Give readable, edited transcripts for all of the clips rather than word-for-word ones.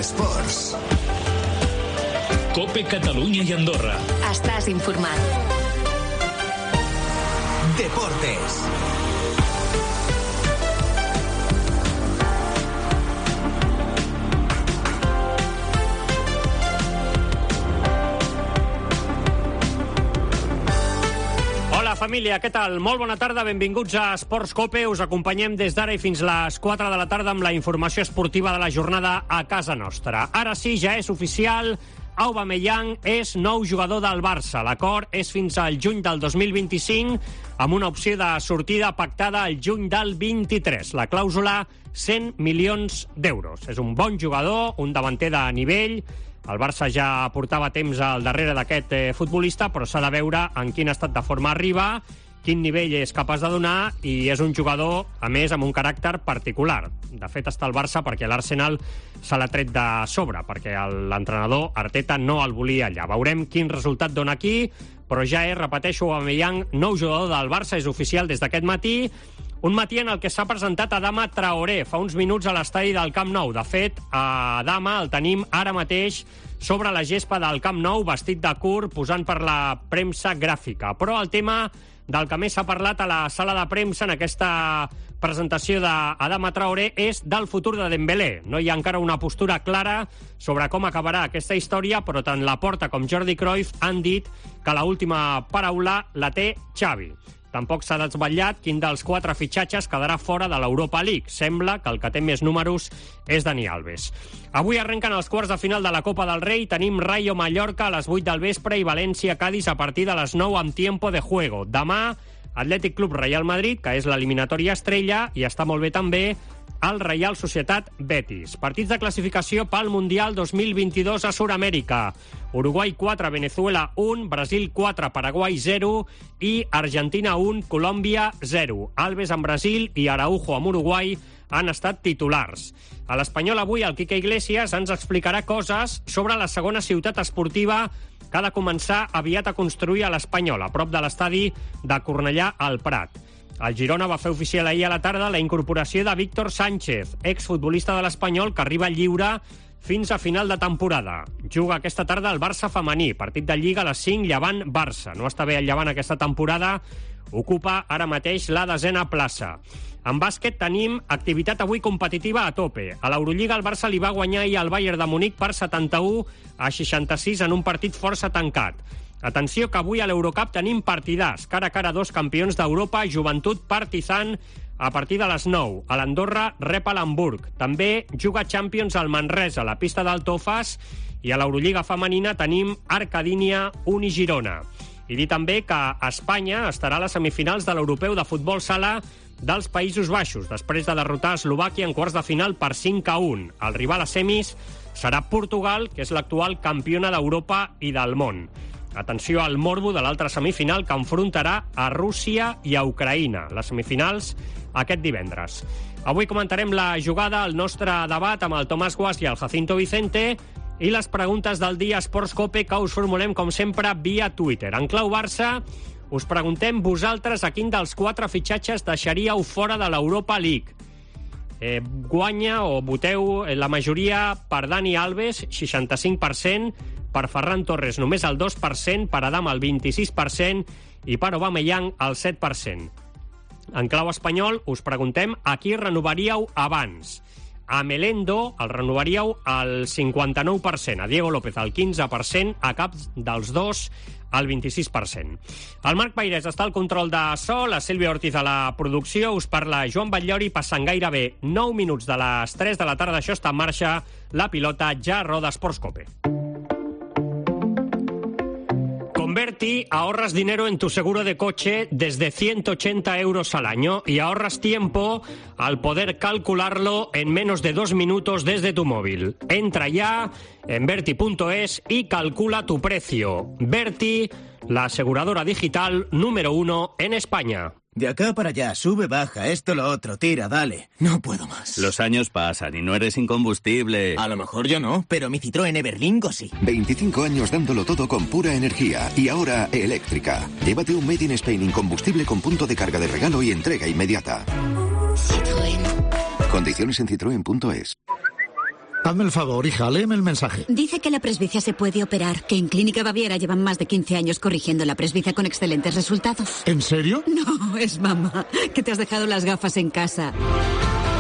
Esports. COPE Catalunya i Andorra. Estàs informat. Deportes. Hola família, què tal? Molt bona tarda, benvinguts a Esports COPE. Us acompanyem des d'ara i fins les 4 de la tarda amb la informació esportiva de la jornada a casa nostra. Ara sí, ja és oficial, Aubameyang és nou jugador del Barça. L'acord és fins al juny del 2025, amb una opció de sortida pactada al juny del 23. La clàusula, 100 milions d'euros. És un bon jugador, un davanter de nivell. El Barça ja portava temps al darrere d'aquest futbolista, però s'ha de veure en quin estat de forma arriba, quin nivell és capaç de donar, i és un jugador, a més, amb un caràcter particular. De fet, està al Barça perquè l'Arsenal se l'ha tret de sobre, perquè l'entrenador Arteta no el volia allà. Veurem quin resultat dona aquí, però ja és, repeteixo, Aubameyang, nou jugador del Barça, és oficial des d'aquest matí. Un matí en el que s'ha presentat Adama Traoré fa uns minuts a l'estadi del Camp Nou. De fet, a Adama el tenim ara mateix sobre la gespa del Camp Nou, vestit de curt, posant per la premsa gràfica. Però el tema del que més s'ha parlat a la sala de premsa en aquesta presentació d'Adama Traoré és del futur de Dembélé. No hi ha encara una postura clara sobre com acabarà aquesta història, però tant Laporta com Jordi Cruyff han dit que l'última paraula la té Xavi. Tampoc s'ha desvetllat quin dels 4 fitxatges quedarà fora de l'Europa League. Sembla que el que té més números és Dani Alves. Avui arrenquen els quarts de final de la Copa del Rei. Tenim Rayo Mallorca a les 8 del vespre i València-Cádiz a partir de les 9 amb tiempo de juego. Demà, Atlètic Club Real Madrid, que és l'eliminatòria estrella, i està molt bé també el Reial Societat Betis. Partits de classificació pel Mundial 2022 a Sud-amèrica. Uruguai 4, Venezuela 1, Brasil 4, Paraguai 0 i Argentina 1, Colòmbia 0. Alves amb Brasil i Araujo amb Uruguai han estat titulars. A l'Espanyol avui el Quique Iglesias ens explicarà coses sobre la segona ciutat esportiva que ha de començar aviat a construir a l'Espanyol, a prop de l'estadi de Cornellà al Prat. El Girona va fer oficial ahir a la tarda la incorporació de Víctor Sánchez, exfutbolista de l'Espanyol que arriba lliure fins a final de temporada. Juga aquesta tarda al Barça femení, partit de Lliga a les 5, Llevant-Barça. No està bé el Llevant aquesta temporada, ocupa ara mateix la 10a plaça. En bàsquet tenim activitat avui competitiva a tope. A l'Eurolliga el Barça li va guanyar ahir al Bayern de Munic per 71-66 en un partit força tancat. Atenció que avui a l'Eurocup tenim partidars. Cara a cara 2 campions d'Europa, Joventut Partizan, a partir de les 9. A l'Andorra rep a l'Hamburg. També juga Champions al Manresa, a la pista d'Altofas, i a l'Eurolliga femenina tenim Arcadínia, Uni Girona. I dir també que Espanya estarà a les semifinals de l'Europeu de Futbol Sala dels Països Baixos, després de derrotar Eslovàquia en quarts de final per 5-1. El rival a semis serà Portugal, que és l'actual campiona d'Europa i del món. Atenció al morbo de l'altra semifinal que enfrontarà a Rússia i a Ucraïna. Les semifinals aquest divendres. Avui comentarem la jugada, el nostre debat amb el Tomàs Guas i el Jacinto Vicente i les preguntes del dia Esports COPE que us formulem, com sempre, via Twitter. En clau Barça, us preguntem vosaltres a quin dels 4 fitxatges deixaríeu fora de l'Europa League. Guanya o voteu la majoria per Dani Alves, 65%, per Ferran Torres només el 2%, per Adama el 26% i per Aubameyang el 7%. En clau espanyol us preguntem a qui renovaríeu abans. A Melendo el renovaríeu al 59%, a Diego López al 15%, a cap dels dos al 26%. El Marc Pairés està al control de so, la Sílvia Ortiz a la producció, us parla Joan Batllori, passant gairebé 9 minuts de les 3 de la tarda, això està en marxa, la pilota ja roda Esports COPE. Converti, ahorras dinero en tu seguro de coche desde 180 euros al año y ahorras tiempo al poder calcularlo en menos de 2 minutos desde tu móvil. Entra ya en Verti.es y calcula tu precio. Verti, la aseguradora digital número 1 en España. De acá para allá, sube, baja, esto, lo otro, tira, dale. No puedo más. Los años pasan y no eres incombustible. A lo mejor yo no, pero mi Citroën Everlingo sí. 25 años dándolo todo con pura energía y ahora eléctrica. Llévate un Made in Spain incombustible con punto de carga de regalo y entrega inmediata. Citroën. Condiciones en citroen.es. Hazme el favor, hija, léeme el mensaje. Dice que la presbicia se puede operar, que en Clínica Baviera llevan más de 15 años corrigiendo la presbicia con excelentes resultados. ¿En serio? No, es mamá, que te has dejado las gafas en casa.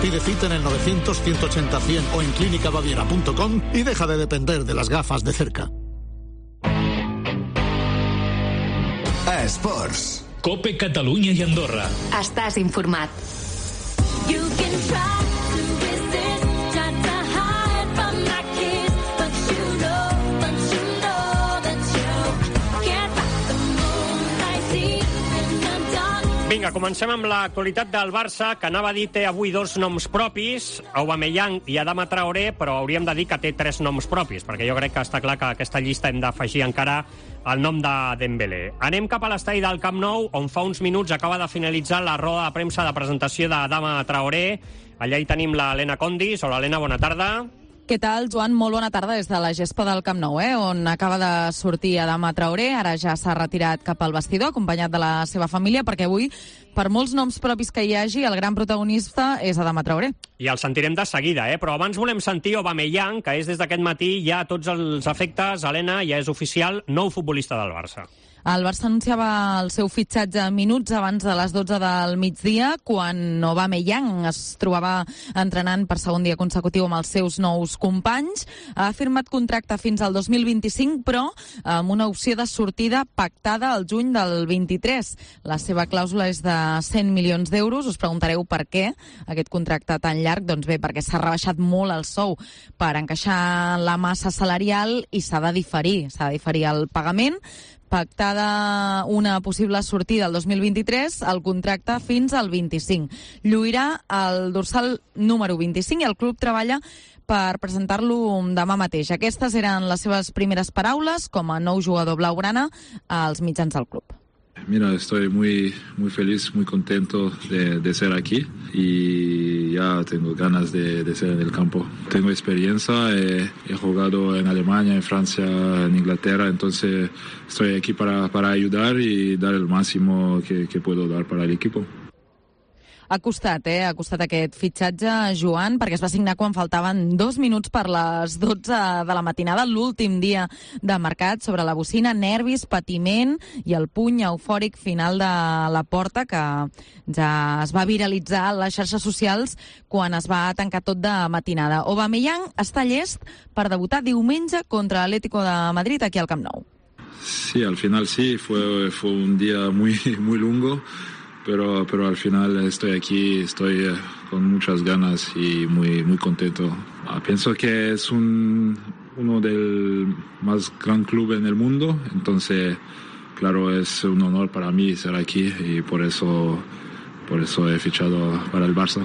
Pide cita en el 900-180-100 o en clínicabaviera.com y deja de depender de las gafas de cerca. Esports. Cope Catalunya i Andorra. Estàs informat. Vinga, comencem amb l'actualitat del Barça, que anava a dir té avui 2 noms propis, Aubameyang i Adama Traoré, però hauríem de dir que té 3 noms propis, perquè jo crec que està clar que a aquesta llista hem d'afegir encara el nom de Dembélé. Anem cap a l'estadi del Camp Nou, on fa uns minuts acaba de finalitzar la roda de premsa de presentació d'Adama Traoré. Allà hi tenim l'Helena Condis. Hola, Helena, bona tarda. Què tal, Joan? Molt bona tarda des de la gespa del Camp Nou, on acaba de sortir Adama Traoré. Ara ja s'ha retirat cap al vestidor, acompanyat de la seva família, perquè avui, per molts noms propis que hi hagi, el gran protagonista és Adama Traoré. I el sentirem de seguida, però abans volem sentir Aubameyang, que és des d'aquest matí ja a tots els efectes, Helena, ja és oficial, nou futbolista del Barça. El Barça anunciava el seu fitxatge minuts abans de les 12 del migdia, quan Aubameyang es trobava entrenant per segon dia consecutiu amb els seus nous companys. Ha firmat contracte fins al 2025, però amb una opció de sortida pactada al juny del 23. La seva clàusula és de 100 milions d'euros. Us preguntareu per què aquest contracte tan llarg. Doncs bé, perquè s'ha rebaixat molt el sou per encaixar la massa salarial i s'ha de diferir el pagament. Pactada una possible sortida el 2023, el contracte fins al 25. Lluirà el dorsal número 25 i el club treballa per presentar-lo demà mateix. Aquestes eren les seves primeres paraules com a nou jugador blaugrana als mitjans del club. Mira, estoy muy feliz, muy contento de ser aquí y ya tengo ganas de ser en el campo. Tengo experiencia, he jugado en Alemania, en Francia, en Inglaterra, entonces estoy aquí para ayudar y dar el máximo que puedo dar para el equipo. Ha costat aquest fitxatge, Joan, perquè es va signar quan faltaven 2 minuts per les 12 de la matinada, l'últim dia de mercat, sobre la bocina, nervis, patiment i el puny eufòric final de la porta, que ja es va viralitzar a les xarxes socials quan es va tancar tot de matinada. Aubameyang està llest per debutar diumenge contra l'Atlético de Madrid aquí al Camp Nou. Sí, al final sí, fue un día muy largo. Pero al final estoy aquí, estoy con muchas ganas y muy contento. Pienso que es uno del más gran club en el mundo, entonces claro, es un honor para mí estar aquí y por eso he fichado para el Barça.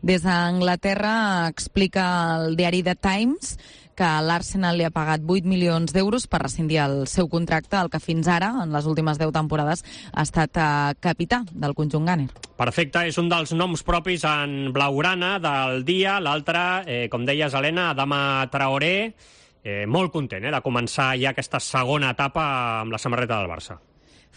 Des d'Anglaterra explica el diari The Times que l'Arsenal li ha pagat 8 milions d'euros per rescindir el seu contracte, el que fins ara, en les últimes 10 temporades, ha estat capità del conjunt Gunner. Perfecte, és un dels noms propis en blaugrana del dia. L'altre, com deies, Helena, Adama Traoré, molt content de començar ja aquesta segona etapa amb la samarreta del Barça.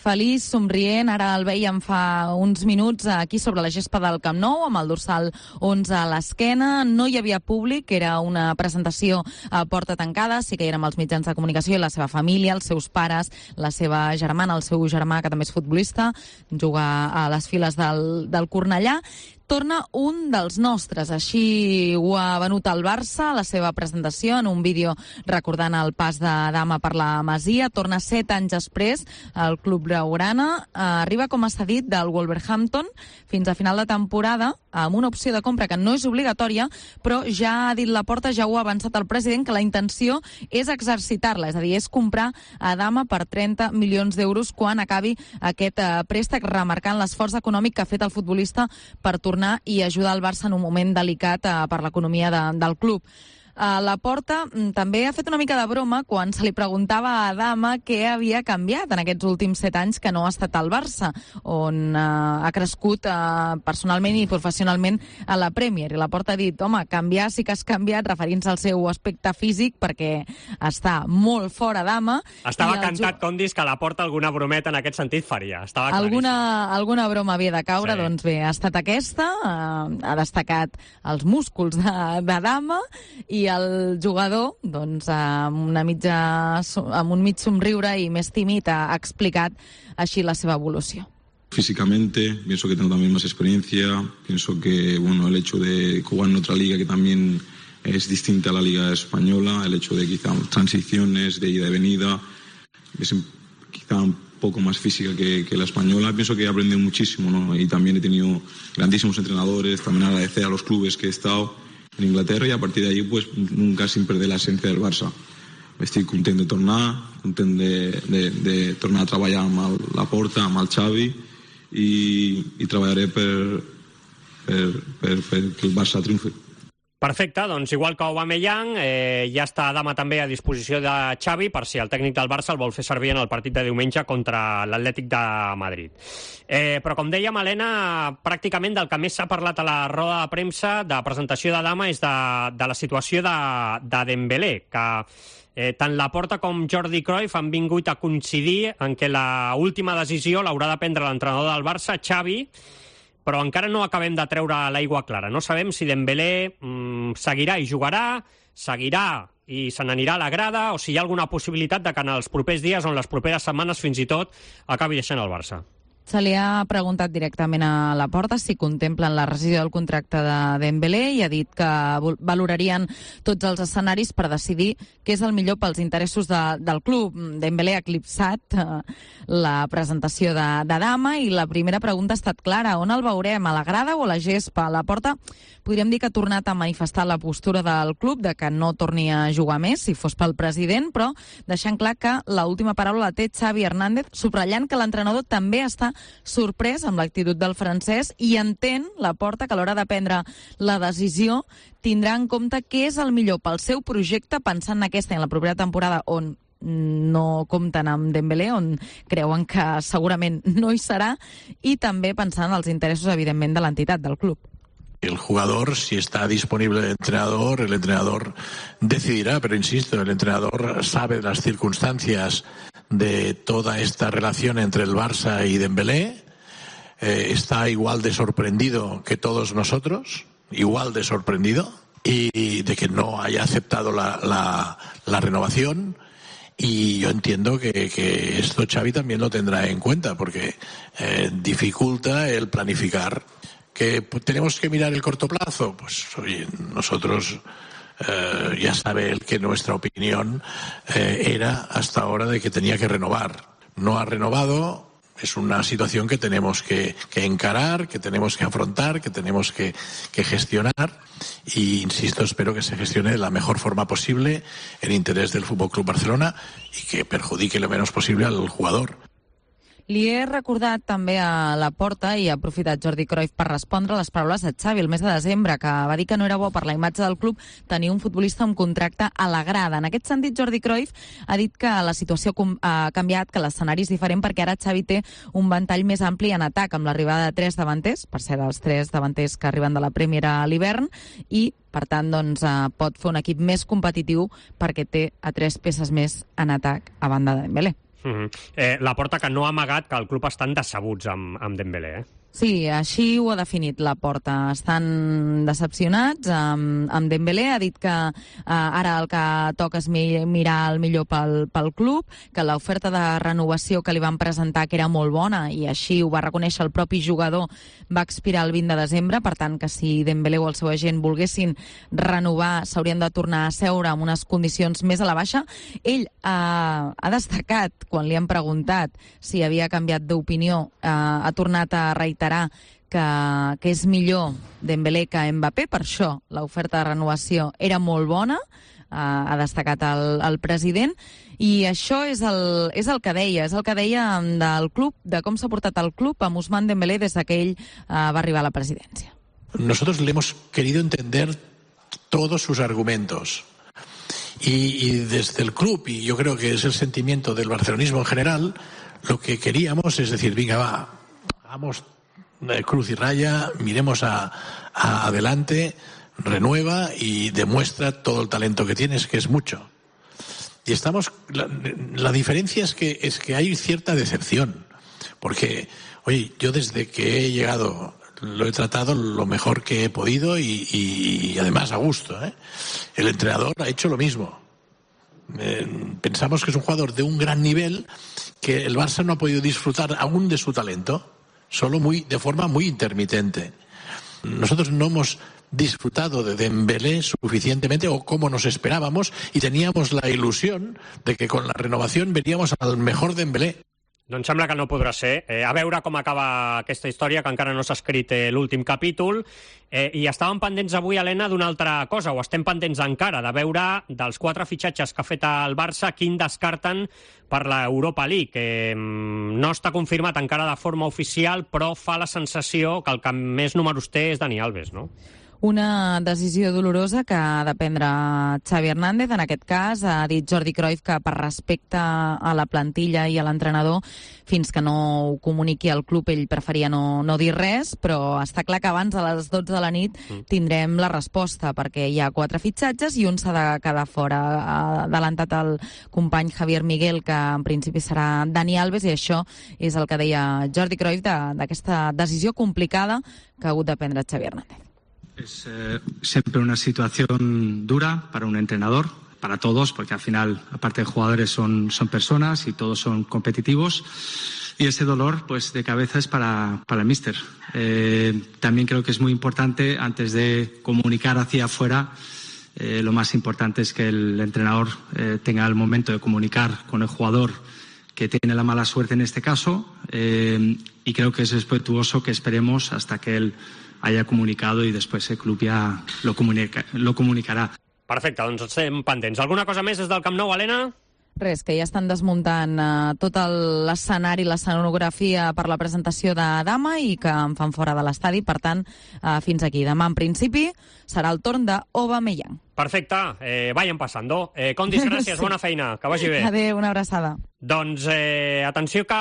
Feliç, somrient, ara el veiem fa uns minuts aquí sobre la gespa del Camp Nou, amb el dorsal 11 a l'esquena. No hi havia públic, era una presentació a porta tancada, sí que hi érem els mitjans de comunicació i la seva família, els seus pares, la seva germana, el seu germà, que també és futbolista, juga a les files del Cornellà. Torna un dels nostres, així ho ha venut el Barça, la seva presentació en un vídeo recordant el pas d'Adama per la Masia. Torna 7 anys després al club blaugrana, arriba com a cedit del Wolverhampton fins a final de temporada, amb una opció de compra que no és obligatòria, però ja ha dit Laporta, ja ho ha avançat el president, que la intenció és exercitar-la, és a dir, és comprar Adama per 30 milions d'euros quan acabi aquest préstec, remarcant l'esforç econòmic que ha fet el futbolista per tornar i ajudar el Barça en un moment delicat per l'economia del club. Laporta també ha fet una mica de broma quan se li preguntava a Adama què havia canviat en aquests últims 7 anys que no ha estat al Barça, on ha crescut personalment i professionalment a la Premier. I Laporta ha dit, home, canviar sí que has canviat, referint-se al seu aspecte físic, perquè està molt fora Adama. Estava cantat, com dius, que Laporta alguna brometa en aquest sentit faria. Estava claríssim. Alguna broma havia de caure, sí. Doncs bé, ha estat aquesta, ha destacat els músculs d'Adama i el jugador, doncs, amb un mig somriure i més tímid, ha explicat així la seva evolució. Físicamente, pienso que tengo también más experiencia, pienso que el hecho de jugar en otra liga que también es distinta a la liga española, el hecho de quizá transiciones de ida y venida, es quizá un poco más física que la española. Pienso que he aprendido muchísimo, ¿no? Y también he tenido grandísimos entrenadores, también agradecer a los clubes que he estado en Inglaterra y a partir de ahí pues nunca sin perder la esencia del Barça. Estic content de tornar, content de tornar a treballar amb Laporta, amb el Xavi i treballaré per que el Barça triomfi. Perfecte, doncs igual que Aubameyang, ja està Adama també a disposició de Xavi per si el tècnic del Barça el vol fer servir en el partit de diumenge contra l'Atlètic de Madrid. Però com dèiem, Helena, pràcticament del que més s'ha parlat a la roda de premsa de presentació d'Adama és de la situació de Dembélé, que tant Laporta com Jordi Cruyff han vingut a coincidir en què l'última decisió l'haurà de prendre l'entrenador del Barça, Xavi, però encara no acabem de treure l'aigua clara. No sabem si Dembélé seguirà i jugarà, seguirà i se n'anirà a la grada, o si hi ha alguna possibilitat de que en els propers dies o en les properes setmanes fins i tot acabi deixant el Barça. Se li ha preguntat directament a Laporta si contemplen la rescissió del contracte de Dembélé i ha dit que valorarien tots els escenaris per decidir què és el millor pels interessos del club. Dembélé ha eclipsat la presentació d'Adama i la primera pregunta ha estat clara. On el veurem? A la grada o a la gespa? Laporta podríem dir que ha tornat a manifestar la postura del club de que no torni a jugar més si fos pel president, però deixant clar que l'última paraula la té Xavi Hernández, subratllant que l'entrenador també està sorprès amb l'actitud del francès i entén Laporta que a l'hora de prendre la decisió tindrà en compte què és el millor pel seu projecte, pensant en aquesta i en la propera temporada on no compten amb Dembélé, on creuen que segurament no hi serà, i també pensant en els interessos, evidentment, de l'entitat del club. El jugador, si está disponible el entrenador decidirá, pero insisto, el entrenador sabe las circunstancias de toda esta relación entre el Barça y Dembélé, está igual de sorprendido que todos nosotros, igual de sorprendido, y de que no haya aceptado la renovación. Y yo entiendo que esto Xavi también lo tendrá en cuenta, porque dificulta el planificar. ¿Que tenemos que mirar el corto plazo? Pues oye, nosotros ya sabe él que nuestra opinión era hasta ahora de que tenía que renovar. No ha renovado, es una situación que tenemos que encarar, que tenemos que afrontar, que tenemos que gestionar. Y insisto, espero que se gestione de la mejor forma posible en interés del Fútbol Club Barcelona y que perjudique lo menos posible al jugador. Li he recordat també a Laporta i ha aprofitat Jordi Cruyff per respondre a les paraules de Xavi el mes de desembre, que va dir que no era bo per la imatge del club tenir un futbolista amb contracte a la grada. En aquest sentit, Jordi Cruyff ha dit que la situació ha canviat, que l'escenari és diferent perquè ara Xavi té un ventall més ampli en atac, amb l'arribada de 3 davanters, per ser els 3 davanters que arriben de la Premier a l'hivern, i per tant doncs, pot fer un equip més competitiu perquè té a 3 peces més en atac a banda de Dembélé. Laporta que no ha amagat que el club estan decebuts amb Dembélé, Sí, així ho ha definit Laporta. Estan decepcionats amb Dembélé. Ha dit que ara el que toca és mirar el millor pel club, que l'oferta de renovació que li van presentar que era molt bona, i així ho va reconèixer el propi jugador, va expirar el 20 de desembre, per tant que si Dembélé o el seu agent volguessin renovar s'haurien de tornar a seure amb unes condicions més a la baixa. Ell ha destacat, quan li han preguntat si havia canviat d'opinió, ha tornat a reiterar que és millor Dembélé que Mbappé, per això l'oferta de renovació era molt bona, ha destacat el president, i això és el que deia del club, de com s'ha portat el club amb Ousmane Dembélé des que ell va arribar a la presidència. Nosotros le hemos querido entender todos sus argumentos. Y desde el club, y yo creo que es el sentimiento del barcelonismo en general, lo que queríamos es decir, venga, vamos cruz y raya, miremos adelante, renueva y demuestra todo el talento que tienes, que es mucho. Y la diferencia es que hay cierta decepción, porque, oye, yo desde que he llegado lo he tratado lo mejor que he podido y además a gusto, ¿eh? El entrenador ha hecho lo mismo. Pensamos que es un jugador de un gran nivel, que el Barça no ha podido disfrutar aún de su talento, solo de forma muy intermitente. Nosotros no hemos disfrutado de Dembélé suficientemente o como nos esperábamos, y teníamos la ilusión de que con la renovación veríamos al mejor Dembélé. Doncs sembla que no podrà ser. A veure com acaba aquesta història, que encara no s'ha escrit l'últim capítol. I estàvem pendents avui, Helena, d'una altra cosa, o estem pendents encara, de veure dels 4 fitxatges que ha fet el Barça, quin descarten per l'Europa League. No està confirmat encara de forma oficial, però fa la sensació que el que més números té és Dani Alves, no? Una decisió dolorosa que ha de prendre Xavi Hernández. En aquest cas ha dit Jordi Cruyff que per respecte a la plantilla i a l'entrenador, fins que no ho comuniqui al club, ell preferia no dir res, però està clar que abans a les 12 de la nit tindrem la resposta, perquè hi ha 4 fitxatges i un s'ha de quedar fora. Ha adelantat el company Javier Miguel que en principi serà Dani Alves, i això és el que deia Jordi Cruyff d'aquesta decisió complicada que ha hagut de prendre Xavi Hernández. Es siempre una situación dura para un entrenador, para todos, porque al final, aparte de jugadores, son personas y todos son competitivos. Y ese dolor, pues, de cabeza es para el míster. También creo que es muy importante, antes de comunicar hacia afuera, lo más importante es que el entrenador tenga el momento de comunicar con el jugador que tiene la mala suerte en este caso, y creo que es respetuoso que esperemos hasta que él haya comunicado y después el club ya lo comunicarà. Perfecte, doncs estem pendents. Alguna cosa més des del Camp Nou, Helena? Res, que ja estan desmuntant tot l'escenari, l'escenografia per la presentació de Dama i que en fan fora de l'estadi. Per tant, fins aquí. Demà, en principi, serà el torn d'Aubameyang. Perfecte, vayan passando. Condis, gràcies, bona feina, que vagi bé. Adéu, una abraçada. Doncs atenció que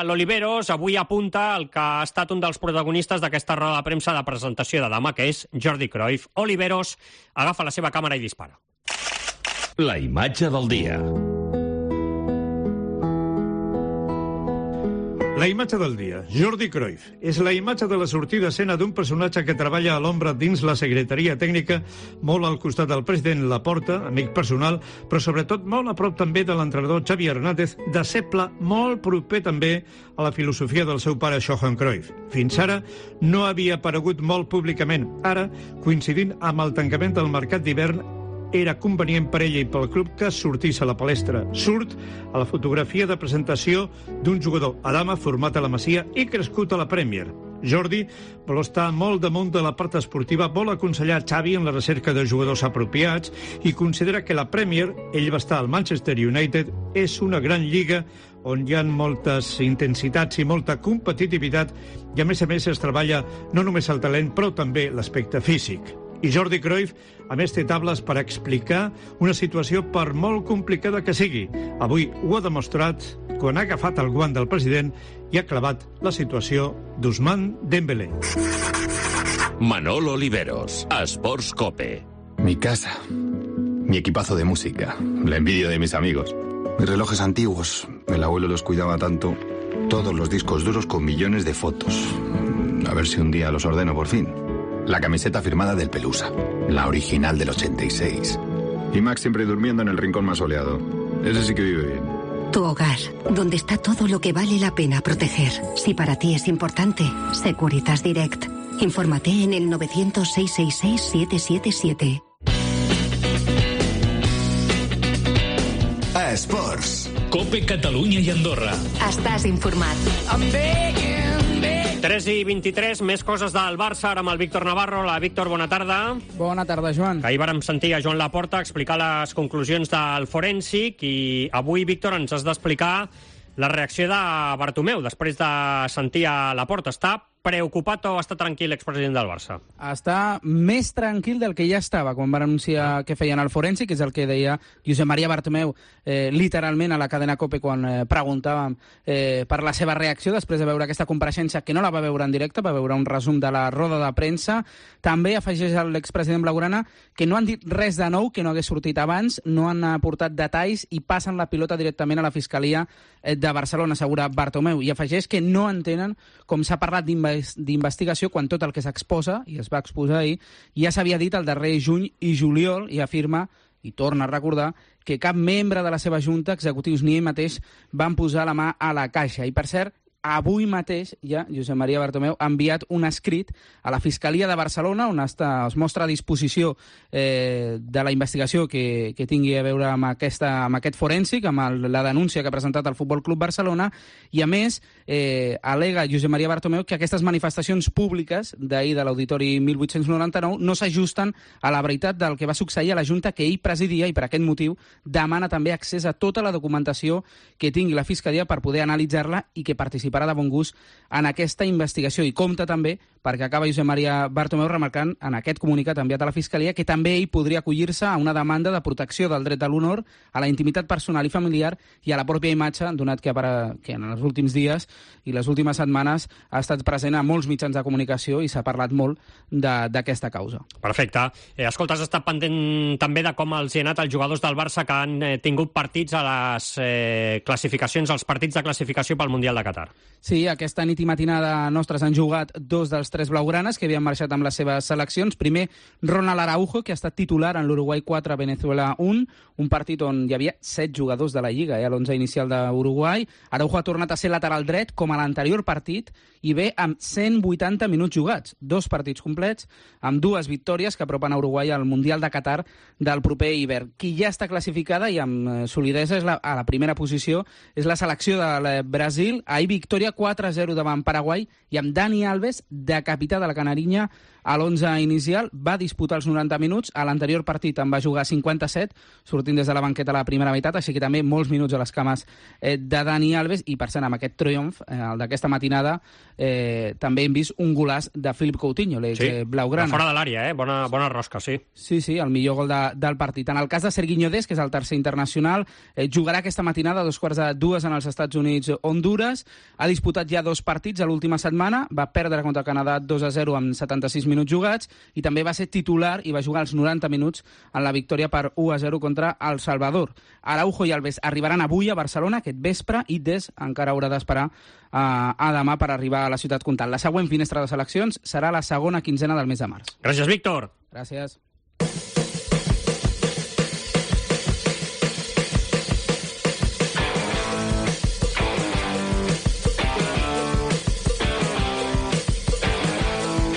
l'Oliveros avui apunta el que ha estat un dels protagonistes d'aquesta roda de premsa de presentació de Dama, que és Jordi Cruyff. Oliveros agafa la seva càmera i dispara. La imatge del dia. La imatge del dia, Jordi Cruyff, és la imatge de la sortida a escena d'un personatge que treballa a l'ombra dins la secretaria tècnica, molt al costat del president Laporta, amic personal, però sobretot molt a prop també de l'entrenador Xavi Hernández, deixeble molt proper també a la filosofia del seu pare Johan Cruyff. Fins ara no havia aparegut molt públicament. Ara, coincidint amb el tancament del mercat d'hivern, era convenient per ella i pel club que sortís a la palestra. Surt a la fotografia de presentació d'un jugador a Dama format a la Masia i crescut a la Premier. Jordi vol estar molt damunt de la part esportiva, vol aconsellar Xavi en la recerca de jugadors apropiats i considera que la Premier, ell va estar al Manchester United, és una gran lliga on hi ha moltes intensitats i molta competitivitat i a més es treballa no només el talent però també l'aspecte físic. I Jordi Cruyff, a més, té tables per explicar una situació per molt complicada que sigui. Avui ho ha demostrat quan ha agafat el guant del president i ha clavat la situació d'Ousmane Dembélé. Manolo Oliveros, Sports Cope. Mi casa, mi equipazo de música, la envidia de mis amigos. Mis relojes antiguos, el abuelo los cuidaba tanto. Todos los discos duros con millones de fotos. A ver si un día los ordeno por fin. La camiseta firmada del Pelusa, la original del 86. Y Max siempre durmiendo en el rincón más soleado. Ese sí que vive bien. Tu hogar, donde está todo lo que vale la pena proteger. Si para ti es importante, Securitas Direct. Infórmate en el 900-666-777. Esports. Cope Catalunya i Andorra. Estàs informat. 3:23, més coses del Barça, ara amb el Víctor Navarro. Hola, Víctor, bona tarda. Bona tarda, Joan. Ahir vàrem sentir a Joan Laporta explicar les conclusions del forènsic i avui, Víctor, ens has d'explicar la reacció de Bartomeu després de sentir a Laporta. Està preocupat o està tranquil l'expresident del Barça? Està més tranquil del que ja estava quan van anunciar que feien el forènsic, que és el que deia Josep Maria Bartomeu literalment a la cadena COPE quan preguntàvem per la seva reacció després de veure aquesta compareixença, que no la va veure en directe, va veure un resum de la roda de premsa. També afegeix l'expresident blaugrana que no han dit res de nou que no hagués sortit abans, no han aportat detalls i passen la pilota directament a la Fiscalia de Barcelona, assegura Bartomeu, i afegeix que no entenen com s'ha parlat d'investigació quan tot el que s'exposa, i es va exposar ahir, ja s'havia dit el darrer juny i juliol, i afirma, i torna a recordar, que cap membre de la seva junta, executius ni ell mateix, van posar la mà a la caixa. I, per cert, avui mateix ja Josep Maria Bartomeu ha enviat un escrit a la Fiscalia de Barcelona on es mostra a disposició de la investigació que tingui a veure amb aquest forènsic, amb la denúncia que ha presentat el Futbol Club Barcelona, i a més al·lega Josep Maria Bartomeu que aquestes manifestacions públiques d'ahir de l'Auditori 1899 no s'ajusten a la veritat del que va succeir a la Junta que ell presidia, i per aquest motiu demana també accés a tota la documentació que tingui la Fiscalia per poder analitzar-la i que participarà de bon gust en aquesta investigació. I compta també, perquè acaba Josep Maria Bartomeu remarcant en aquest comunicat enviat a la Fiscalia, que també ell podria acollir-se a una demanda de protecció del dret de l'honor, a la intimitat personal i familiar i a la pròpia imatge, donat que en els últims dies i les últimes setmanes ha estat present a molts mitjans de comunicació i s'ha parlat molt d'aquesta causa. Perfecte. Escolta, has estat pendent també de com els hi ha anat els jugadors del Barça que han tingut partits a les classificacions, als partits de classificació pel Mundial de Qatar. Sí, aquesta nit i matinada nostres han jugat 2 dels 3 blaugranes que havien marxat amb les seves seleccions. Primer, Ronald Araujo, que ha estat titular en l'Uruguai 4, Venezuela 1, un partit on hi havia 7 jugadors de la Lliga, a l'11 inicial d'Uruguai. Araujo ha tornat a ser lateral dret, com a l'anterior partit, i ve amb 180 minuts jugats, 2 partits complets, amb 2 victòries que apropen a Uruguai al Mundial de Qatar del proper hivern. Qui ja està classificada i amb solidesa a la primera posició és la selecció del Brasil. Ahir victòria 4-0 davant Paraguai i amb Dani Alves, de capità de la Canarinya, a l'11 inicial. Va disputar els 90 minuts. A l'anterior partit en va jugar 57, sortint des de la banqueta a la primera meitat, així que també molts minuts a les cames de Dani Alves. I, per cert, amb aquest triomf, el d'aquesta matinada, també hem vist un golaç de Philippe Coutinho, blaugrana. Fora de l'àrea, bona rosca, sí. Sí, el millor gol del partit. En el cas de Serginho Dest, que és el tercer internacional, jugarà aquesta matinada a 2:45 en els Estats Units, Honduras. Ha disputat ja 2 partits a l'última setmana. Va perdre contra el Canadà 2-0 amb 76 minuts jugats i també va ser titular i va jugar els 90 minuts en la victòria per 1-0 contra El Salvador. Araujo i Alves arribaran avui a Barcelona aquest vespre i Dest encara haurà d'esperar a demà per arribar a la ciutat comtal. La següent finestra de seleccions serà la segona quinzena del mes de març. Gràcies, Víctor. Gràcies.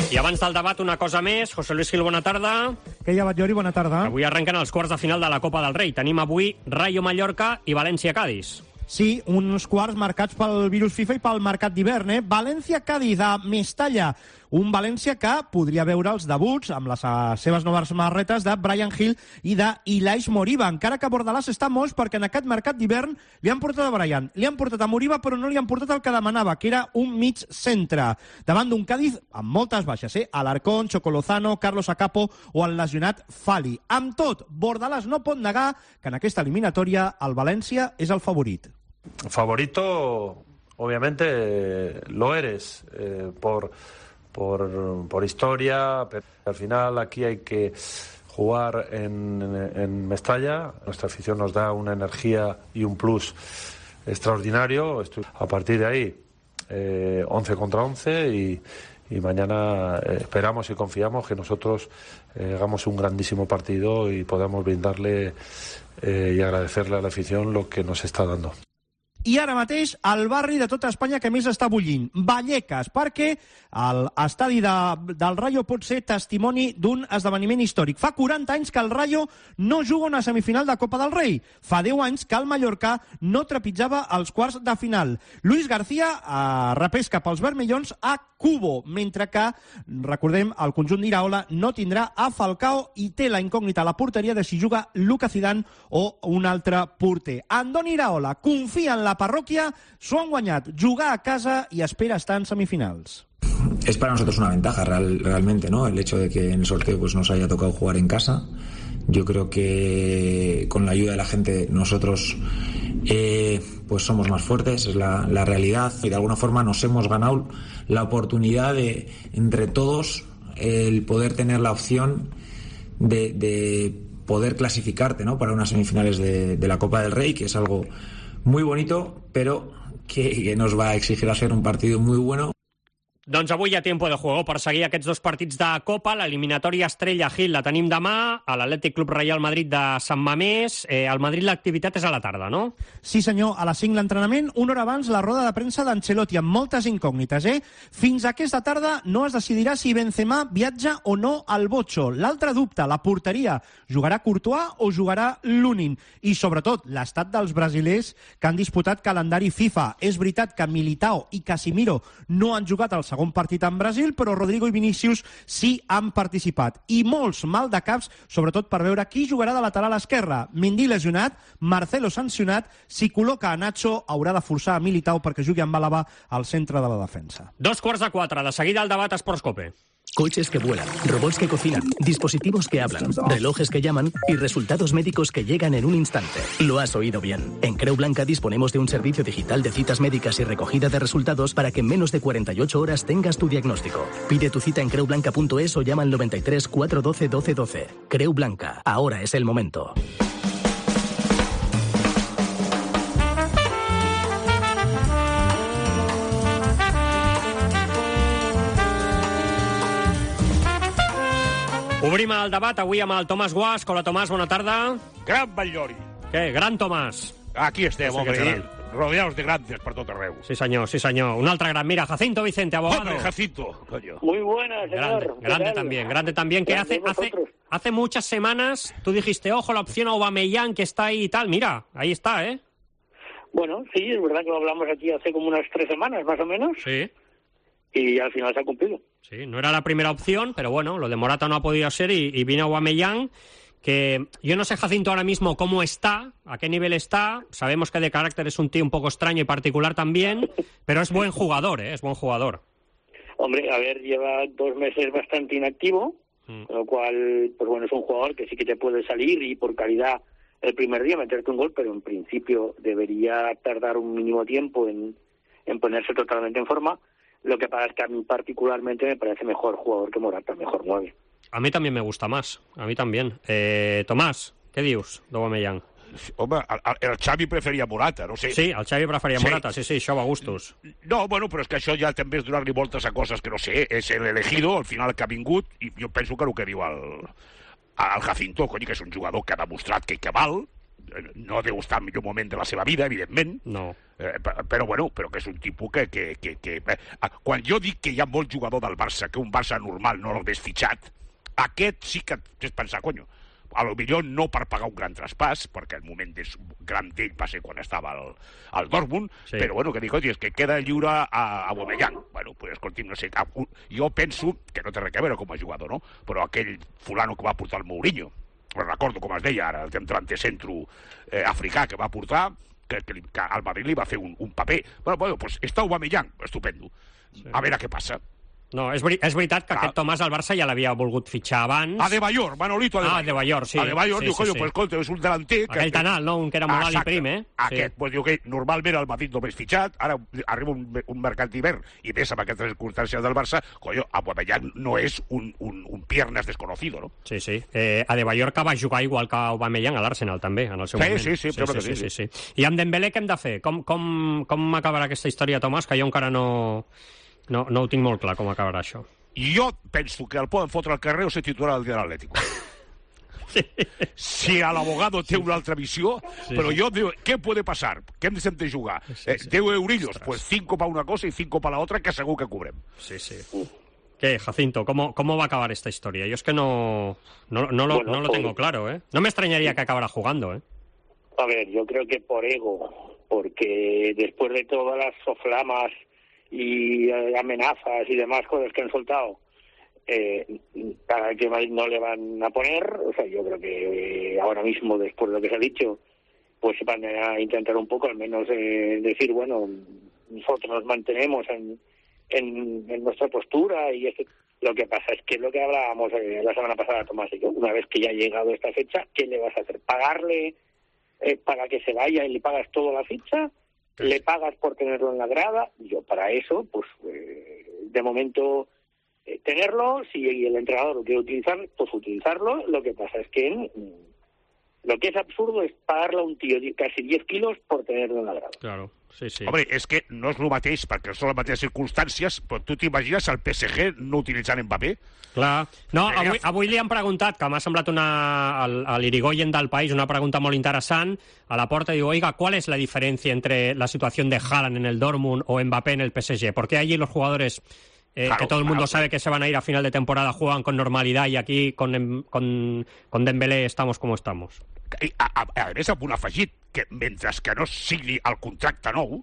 I abans del debat, una cosa més. José Luis Gil, bona tarda. Què hi ha, Batllori? Bona tarda. Avui arrenquen els quarts de final de la Copa del Rei. Tenim avui Rayo Mallorca i València-Cádiz. Sí, uns quarts marcats pel virus FIFA i pel mercat d'hivern, València-Cádiz a Mestalla. Un València que podria veure els debuts amb les seves noves marretes de Bryan Gil i d'Ilais Moriba, encara que Bordalàs està moix perquè en aquest mercat d'hivern li han portat a Bryan, li han portat a Moriba, però no li han portat el que demanava, que era un mig centre. Davant d'un Cádiz amb moltes baixes, Alarcón, Chocolozano, Carlos Acapo o el lesionat Fali. Amb tot, Bordalàs no pot negar que en aquesta eliminatòria el València és el favorit. Favorito, obviamente, lo eres por historia, pero al final aquí hay que jugar en Mestalla. Nuestra afición nos da una energía y un plus extraordinario. A partir de ahí, 11 contra 11 y mañana esperamos y confiamos que nosotros hagamos un grandísimo partido y podamos brindarle y agradecerle a la afición lo que nos está dando. I ara mateix el barri de tota Espanya que més està bullint, Vallecas, perquè l'estadi del Rayo pot ser testimoni d'un esdeveniment històric. Fa 40 anys que el Rayo no juga una semifinal de Copa del Rei. Fa 10 anys que el Mallorca no trepitjava els quarts de final. Luis García repesca pels vermellons a Cubo, mentre que, recordem, el conjunt d'Iraola no tindrà a Falcao i té la incògnita a la porteria de si juga Luca Zidane o un altre porter. Andoni Iraola confia en la parròquia, s'ho han guanyat, jugar a casa i espera estar en semifinals. es para nosotros una ventaja realmente, ¿no? El hecho de que en el sorteo pues nos haya tocado jugar en casa. Yo creo que con la ayuda de la gente nosotros pues somos más fuertes, es la realidad, y de alguna forma nos hemos ganado la oportunidad de, entre todos, el poder tener la opción de poder clasificarte, ¿no? Para unas semifinales de la Copa del Rey, que es algo muy bonito, pero que nos va a exigir hacer un partido muy bueno. Doncs avui hi ha tiempo de juego per seguir aquests dos partits de Copa. L'eliminatòria Estrella Gil la tenim demà, a l'Atlètic Club Reial Madrid de Sant Mamés. Al Madrid l'activitat és a la tarda, no? Sí, senyor. A les 5 l'entrenament, una hora abans la roda de premsa d'Ancelotti, amb moltes incògnites, Fins aquesta tarda no es decidirà si Benzema viatja o no al Bocho. L'altre dubte, la porteria. Jugarà Courtois o jugarà Lunin? I, sobretot, l'estat dels brasilers que han disputat calendari FIFA. És veritat que Militao i Casimiro no han jugat al segon partit en Brasil, però Rodrigo i Vinícius sí han participat. I molts mal de caps, sobretot per veure qui jugarà de lateral esquerre. Mendy lesionat, Marcelo sancionat, si col·loca a Nacho haurà de forçar a Militao perquè jugui amb Álava al centre de la defensa. 3:45, de seguida el debat a Esports Cope. Coches que vuelan, robots que cocinan, dispositivos que hablan, relojes que llaman y resultados médicos que llegan en un instante. Lo has oído bien. En Creu Blanca disponemos de un servicio digital de citas médicas y recogida de resultados para que en menos de 48 horas tengas tu diagnóstico. Pide tu cita en creublanca.es o llama al 93 412 1212. Creu Blanca, ahora es el momento. Obrim el debat avui amb el Tomàs Guasch. Hola, Tomàs, bona tarda. Gran Batllori. Què, gran Tomàs? Aquí estem, home, rodeados de grandes per tot arreu. Sí, senyor, sí, senyor. Un altre gran. Mira, Jacinto Vicente, abogado. Hombre, Jacinto, coño. Muy buenas, señor. Grande también, que hace muchas semanas tú dijiste, ojo, la opción Aubameyang que está ahí y tal. Mira, ahí está, ¿eh? Bueno, sí, es verdad que lo hablamos aquí hace como unas 3 semanas, más o menos. Sí. Y al final se ha cumplido. Sí, no era la primera opción, pero bueno, lo de Morata no ha podido ser y vino Aubameyang, que yo no sé, Jacinto, ahora mismo cómo está, a qué nivel está. Sabemos que de carácter es un tío un poco extraño y particular también, pero es buen jugador, es buen jugador. Hombre, a ver, lleva 2 meses bastante inactivo, con lo cual, pues bueno, es un jugador que sí que te puede salir y por calidad el primer día meterte un gol, pero en principio debería tardar un mínimo tiempo en ponerse totalmente en forma. Lo que pasa es que a mí particularmente me parece mejor jugador que Morata, mejor 9. A mí también me gusta más, a mí también. Tomàs, què dius d'Aubameyang? Home, el Xavi preferia Morata, no sé. Sí, el Xavi preferia Morata, sí, això va a gustos. No, bueno, però és que això ja també és donar-li voltes a coses que no sé, és l'elegido, al final que ha vingut, i jo penso que el que diu el Jacinto, cony, que és un jugador que ha demostrat que val, no deu estar en millor moment de la seva vida, evidentment, no. Però bueno, però que és un tipus que quan jo dic que hi ha molt jugador del Barça, que un Barça normal no l'hagués fitxat, aquest sí que és pensar, conyo, a lo millor no per pagar un gran traspàs, perquè el moment gran d'ell va ser quan estava al Dortmund, sí. Però bueno, que dic, és que queda lliure a Aubameyang. Bueno, pues escolti'm, no sé, jo penso que no té res a veure com a jugador, no? Però aquell fulano que va portar el Mourinho, recordo com es deia ara, el centre centro africà que va portar, que al Madrid li va fer un paper. Bueno, pues està Aubameyang, estupendo. A veure què passa. No, és veritat que aquest Tomàs al Barça ja l'havia volgut fitxar abans. Adebayor, Manolito Adebayor. Adebayor, sí. Adebayor, diu, coño, pues escolta, és un delanter... Aquell Tanal, no? Un que era molt alt i prim, Aquest, pues diu que normalment el Madrid no m'és fitxat, ara arriba un mercat d'hivern i més amb aquestes circumstàncies del Barça, coño, Aubameyang no és un piernas desconocido, no? Sí, sí. Adebayor que va jugar igual que Aubameyang a l'Arsenal, també, en el seu moment. Sí. I amb Dembélé què hem de fer? Com acabarà aquesta història, Tomàs, que jo encara no ho tinc molt clar com acabarà això. Jo penso que el poden fotre al carrer o ser titular del dia de l'Atlético. Sí. Si l'abogado té una altra visió, però jo digo, què puede pasar? Què hem de jugar? 10 eurillos, pues 5 para una cosa y 5 para la otra, que segur que cobrem. Sí. ¿Qué, Jacinto? ¿Cómo va a acabar esta historia? Yo es que no lo tengo claro, ¿eh? No me extrañaría que acabara jugando, ¿eh? A ver, yo creo que por ego, porque después de todas las soflamas y amenazas y demás cosas que han soltado, para que no le van a poner, o sea, yo creo que ahora mismo, después de lo que se ha dicho, pues van a intentar un poco, al menos decir, bueno, nosotros nos mantenemos en en nuestra postura y lo que pasa es que es lo que hablábamos la semana pasada, Tomás y yo, una vez que ya ha llegado esta fecha, ¿qué le vas a hacer? ¿Pagarle para que se vaya y le pagas toda la ficha? ¿Le pagas por tenerlo en la grada? Yo para eso, pues de momento tenerlo, si el entrenador lo quiere utilizar, pues utilizarlo. Lo que pasa es que lo que es absurdo es pagarle a un tío casi 10 kilos por tenerlo en la grada. Claro. Sí. Home, és que no és el mateix, perquè són les mateixes circumstàncies, però tu t'imagines el PSG no utilitzant Mbappé? Clar. No, avui li han preguntat, que m'ha semblat a l'Irigoyen del País, una pregunta molt interessant, a la porta, digo, oiga, ¿cuál es la diferencia entre la situación de Haaland en el Dortmund o Mbappé en el PSG? ¿Por qué allí los jugadores... que todo el mundo sabe que se van a ir a final de temporada, juegan con normalidad y aquí con Dembélé estamos como estamos? A més, amb un afegit, que mentre que no sigui el contracte nou,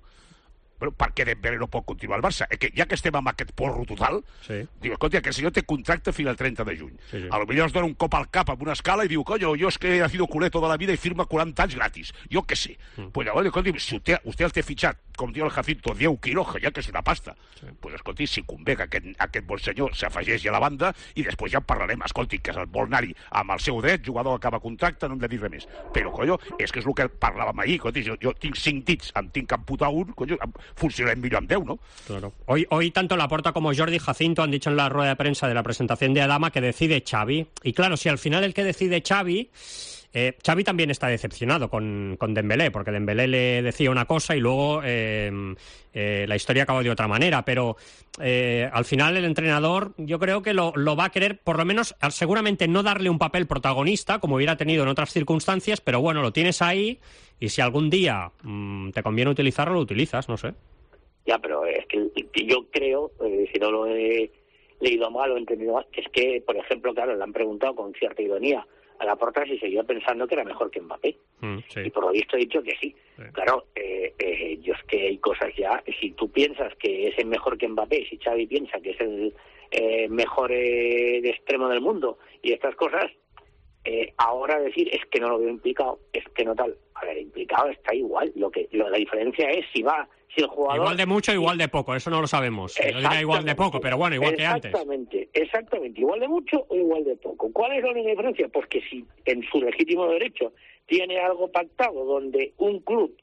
però per què Dembélé no pot continuar al Barça? Que ja que estem amb aquest porro total, diu, escolta, que el senyor té contracte fins al 30 de juny. A lo millor es dona un cop al cap amb una escala i diu, coño, yo es que he sido culé toda la vida i firma 40 anys gratis. Jo què sé. Pues llavors, escolti, si usted el té fitxat, com diu el Jacinto, 10 quilos, ja que és una pasta. Pues escolti, si convé que aquest bon senyor s'afegeixi a la banda i després ja en parlarem. Escolti, que el vol anar-hi amb el seu dret, jugador acaba contracte, no hem de dir res més. Però, coño, és que és el que parlàvem ahir. Escolti, jo tinc 5 dits, em tinc que amputar un, coño, funcionarem millor amb 10, ¿no? Claro. Hoy tanto Laporta como Jordi Jacinto han dicho en la rueda de prensa de la presentación de Adama que decide Xavi. Y claro, si al final el que decide Xavi... Xavi también está decepcionado con Dembélé, porque Dembélé le decía una cosa y luego la historia acabó de otra manera, pero al final el entrenador yo creo que lo va a querer, por lo menos seguramente no darle un papel protagonista como hubiera tenido en otras circunstancias, pero bueno, lo tienes ahí y si algún día te conviene utilizarlo, lo utilizas, no sé. Ya, pero es que yo creo, si no lo he leído mal o entendido mal, es que, por ejemplo, claro, le han preguntado con cierta ironía a Laporta si seguía pensando que era mejor que Mbappé. Y por lo visto he dicho que sí. Claro, yo es que hay cosas ya, si tú piensas que es el mejor que Mbappé, si Xavi piensa que es el mejor de extremo del mundo y estas cosas, ahora decir es que no lo veo implicado, es que no tal. A ver, implicado está igual. La diferencia es si el jugador... Igual de mucho, igual de poco, eso no lo sabemos. Yo diría igual de poco, pero bueno, igual que antes. Exactamente, igual de mucho o igual de poco. ¿Cuál es la única diferencia? Pues que si en su legítimo derecho tiene algo pactado donde un club,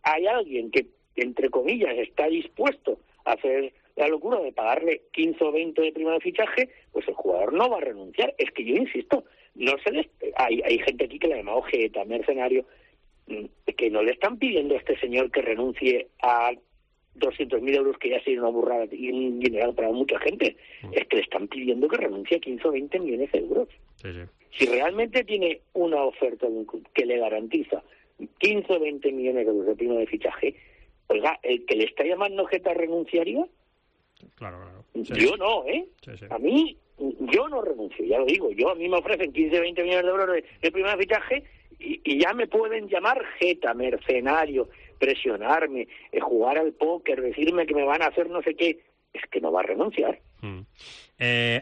hay alguien que, entre comillas, está dispuesto a hacer la locura de pagarle 15 o 20 de prima de fichaje, pues el jugador no va a renunciar. Es que yo insisto, hay gente aquí que le llama ojeta, mercenario, que no le están pidiendo a este señor que renuncie a 200.000 euros, que ya sería una burrada y un dineral para mucha gente. Es que le están pidiendo que renuncie a 15 o 20 millones de euros. Si realmente tiene una oferta de un club que le garantiza 15 o 20 millones de euros de prima de fichaje, oiga, el que le está llamando ojeta renunciaría. Claro. Yo no, A mí, yo no renuncio, ya lo digo. A mí me ofrecen 15 o 20 millones de euros de prima de fichaje y ya me pueden llamar jeta, mercenario, presionarme, jugar al póker, decirme que me van a hacer no sé qué. Es que no va a renunciar.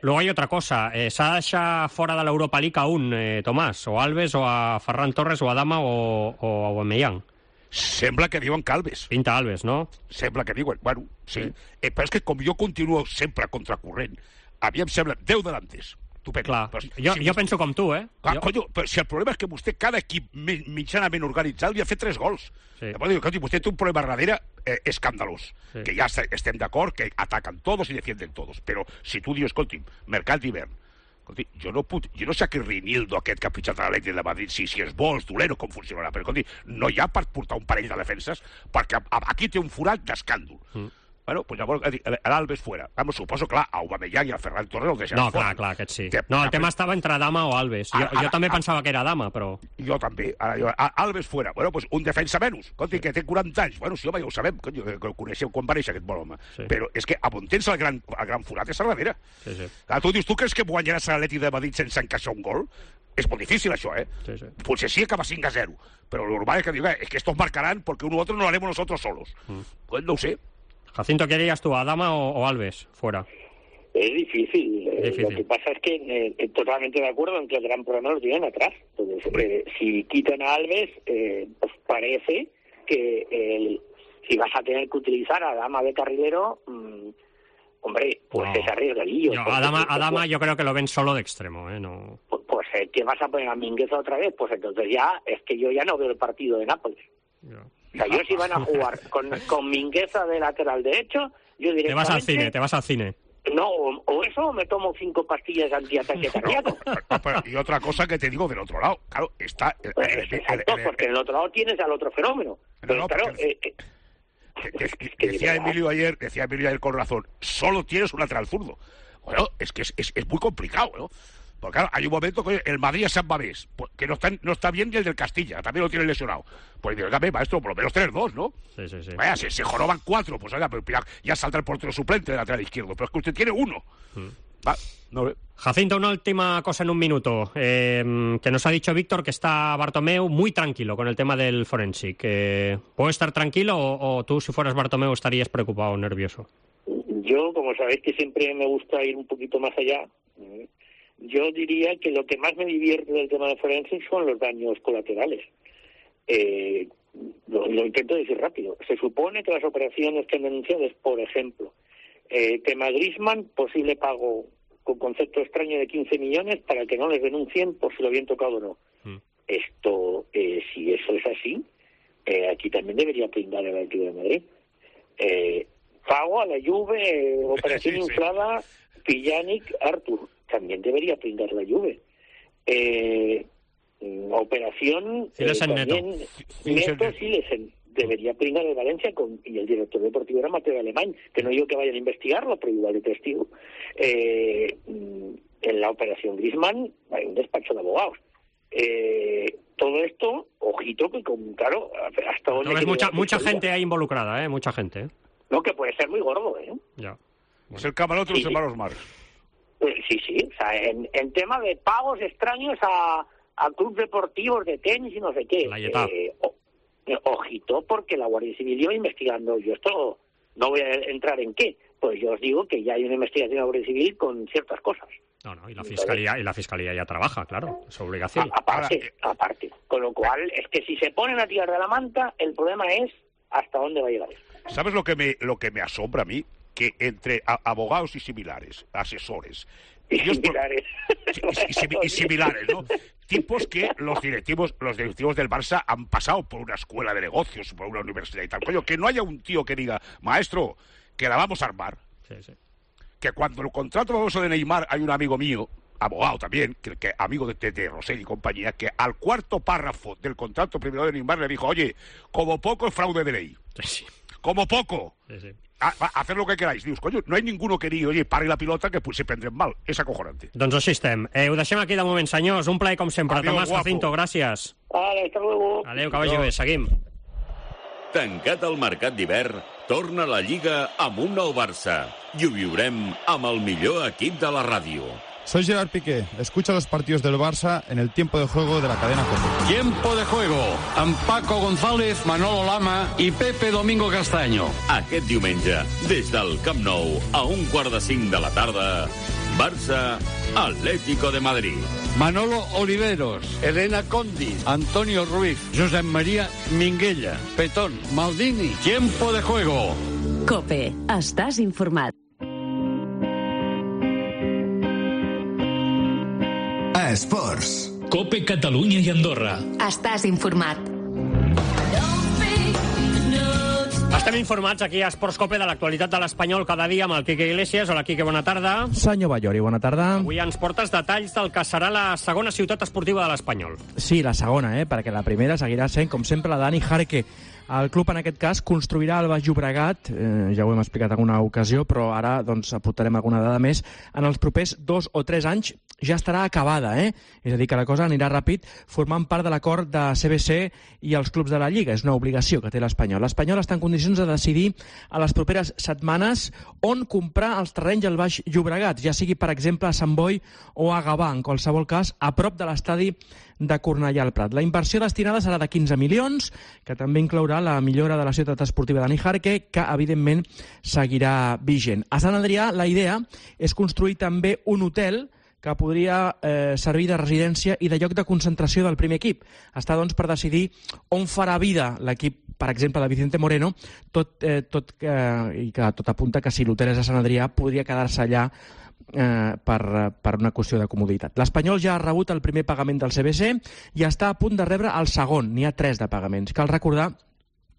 Luego hay otra cosa. S'ha de deixar fora de l'Europa League a un, Tomàs, o Alves, o a Ferran Torres, o a Dama, o a Aubameyang. Sembla que diuen que Alves. Pinta Alves, no? Sembla que diuen. Bueno, sí. Però és que com jo continuo sempre contracorrent, a mi em sembla 10 delantes. Clar, jo penso com tu, Clar, conyo, però si el problema és que vostè, cada equip mitjanament organitzat, li ha fet 3 gols. Llavors diu, vostè té un problema darrere escandalós, que ja estem d'acord, que ataquen todos i defienden todos. Però si tu dius, escolti, mercat d'hivern, jo no sé aquest Rinildo aquest que ha pitjat a l'Atlètic de Madrid, si és bo, és dolent o com funcionarà, però escolti, no hi ha per portar un parell de defenses, perquè aquí té un forat d'escàndol. Bueno, pues llavors l'Alves fuera. Vamos, suposo, clar, a Aubameyang i a Ferran Torres el deixarà fora. Clar, aquest sí. No, el tema estava entre Dama o Alves. Jo també pensava que era Dama, però... Jo també. Alves fuera. Bueno, pues un defensa menys. Escolti, que té 40 anys. Bueno, sí, home, ja ho sabem, que ho coneixeu quan va néixer aquest bon home. Però és que on tens el gran forat és a darrere. Tu dius, tu creus que guanyaràs a l'Atlètic de Madrid sense encaixar un gol? És molt difícil, això, Potser sí acaba 5-0, però lo normal es que diga, es que estos marcarán porque uno u otro no lo haremos nosotros solos. Pues no sé. Jacinto, ¿qué harías tú, a Dama o Alves, fuera? Es difícil. Lo que pasa es que totalmente de acuerdo en que el gran problema lo tienen atrás. Entonces, si quitan a Alves, pues parece que si vas a tener que utilizar a Adama de carrilero, hombre, pues es arriesgadillo. Adama yo creo que lo ven solo de extremo, No. Pues ¿qué vas a poner a Mingueza otra vez? Pues entonces ya, es que yo ya no veo el partido de Nápoles. O sea, yo si van a jugar con Mingueza de lateral derecho, yo directamente... Te vas al cine. No, o eso, o me tomo 5 pastillas antiataque cardíaco. Y otra cosa que te digo del otro lado, claro, está... Exacto, porque en el otro lado tienes al otro fenómeno. Pero claro... Decía Emilio ayer con razón, solo tienes un lateral zurdo. Bueno, es que es muy complicado, ¿no? Porque claro, hay un momento que el Madrid a San Mamés, que no está bien ni el del Castilla, también lo tiene lesionado. Pues dígame, maestro, por lo menos tener 2, ¿no? Sí. Vaya, se joroban 4, pues oiga, pero ya salta el portero suplente de lateral izquierdo, pero es que usted tiene 1. Jacinto, una última cosa en un minuto, que nos ha dicho Víctor que está Bartomeu muy tranquilo con el tema del forensic. ¿Puedo estar tranquilo o tú, si fueras Bartomeu, estarías preocupado o nervioso? Yo, como sabéis que siempre me gusta ir un poquito más allá, yo diría que lo que más me divierte del tema de forensic son los daños colaterales. Lo intento decir rápido. Se supone que las operaciones que han denunciado es, por ejemplo, tema Griezmann, posible pago con concepto extraño de 15 millones para que no les denuncien por si lo habían tocado o no. Esto, si eso es así, aquí también debería pringar el Atlético de Madrid. Pago a la Juve, operación inflada, Pjanic, Artur, también debería pringar la Juve. Operación también Neto Silesen, debería pringar el Valencia y el director deportivo era Mateo Alemán, que no digo que vayan a investigarlo, pero igual de testigo. En la operación Griezmann hay un despacho de abogados. Todo esto, ojito, que claro, hasta donde... Mucha gente ahí involucrada, mucha gente. No, que puede ser muy gordo, Ya. Es el camarote de los hermanos Marx. Sí, o sea, en tema de pagos extraños a clubes deportivos de tenis y no sé qué. Ojito, porque la Guardia Civil iba investigando. Yo esto no voy a entrar en qué. Pues yo os digo que ya hay una investigación de la Guardia Civil con ciertas cosas. No, y la fiscalía ya trabaja, claro, es obligación. Aparte. Con lo cual, es que si se ponen a tirar de la manta, el problema es hasta dónde va a llegar esto. ¿Sabes lo que me asombra a mí? Que entre abogados y similares, asesores... Y similares, ¿no? Tipos que los directivos del Barça han pasado por una escuela de negocios, por una universidad y tal. Coño, que no haya un tío que diga, maestro, que la vamos a armar. Sí. Que cuando el contrato famoso de Neymar, hay un amigo mío, abogado también, que amigo de Rosell y compañía, que al cuarto párrafo del contrato primero de Neymar le dijo, oye, como poco es fraude de ley. Sí. Como poco. Sí. Hacer lo que queráis. Dius, coño, no hay ninguno que digui, oye, pari la pilota que se prendrem mal. És acojonante. Doncs així estem. Ho deixem aquí de moment, senyors. Un plaer com sempre. Adiós, Tomàs guapo. Jacinto, gràcies. Vale, hasta luego. Adéu, que vagi bé. Seguim. Tancat el mercat d'hivern, torna la Lliga amb un nou Barça. I ho viurem amb el millor equip de la ràdio. Soy Gerard Piqué. Escucha los partidos del Barça en el tiempo de juego de la cadena COPE. Tiempo de juego amb Paco González, Manolo Lama i Pepe Domingo Castaño. Aquest diumenge, des del Camp Nou, a 1:45 de la tarda, Barça, Atlético de Madrid. Manolo Oliveros, Elena Condi, Antonio Ruiz, Josep María Minguella, Petón, Maldini. Tiempo de juego. COPE. Estàs informat. Esports. COPE Catalunya i Andorra. Estàs informat. Estem informats aquí a Esports COPE de l'actualitat de l'Espanyol cada dia amb el Quique Iglesias. Hola, Quique, bona tarda. Senyor Ballori, bona tarda. Avui ens portes detalls del que serà la segona ciutat esportiva de l'Espanyol. Sí, la segona, perquè la primera seguirà sent, com sempre, la Dani Jarque. El club, en aquest cas, construirà el Baix Llobregat, ja ho hem explicat en alguna ocasió, però ara doncs, aportarem alguna dada més. En els propers 2 o 3 anys ja estarà acabada, És a dir, que la cosa anirà ràpid, formant part de l'acord de CBC i els clubs de la Lliga. És una obligació que té l'Espanyol. L'Espanyol està en condicions de decidir a les properes setmanes on comprar els terrenys al Baix Llobregat, ja sigui, per exemple, a Sant Boi o a Gavà, en qualsevol cas, a prop de l'estadi de Cornellà al Prat. La inversió destinada serà de 15 milions, que també inclourà la millora de la ciutat esportiva de Nijarque, que evidentment seguirà vigent. A Sant Adrià la idea és construir també un hotel que podria servir de residència i de lloc de concentració del primer equip. Està, doncs, per decidir on farà vida l'equip, per exemple, de Vicente Moreno, i que tot apunta que si l'hotel és a Sant Adrià podria quedar-se allà per una qüestió de comoditat. L'Espanyol ja ha rebut el primer pagament del CBC i està a punt de rebre el segon. N'hi ha 3 de pagaments. Cal recordar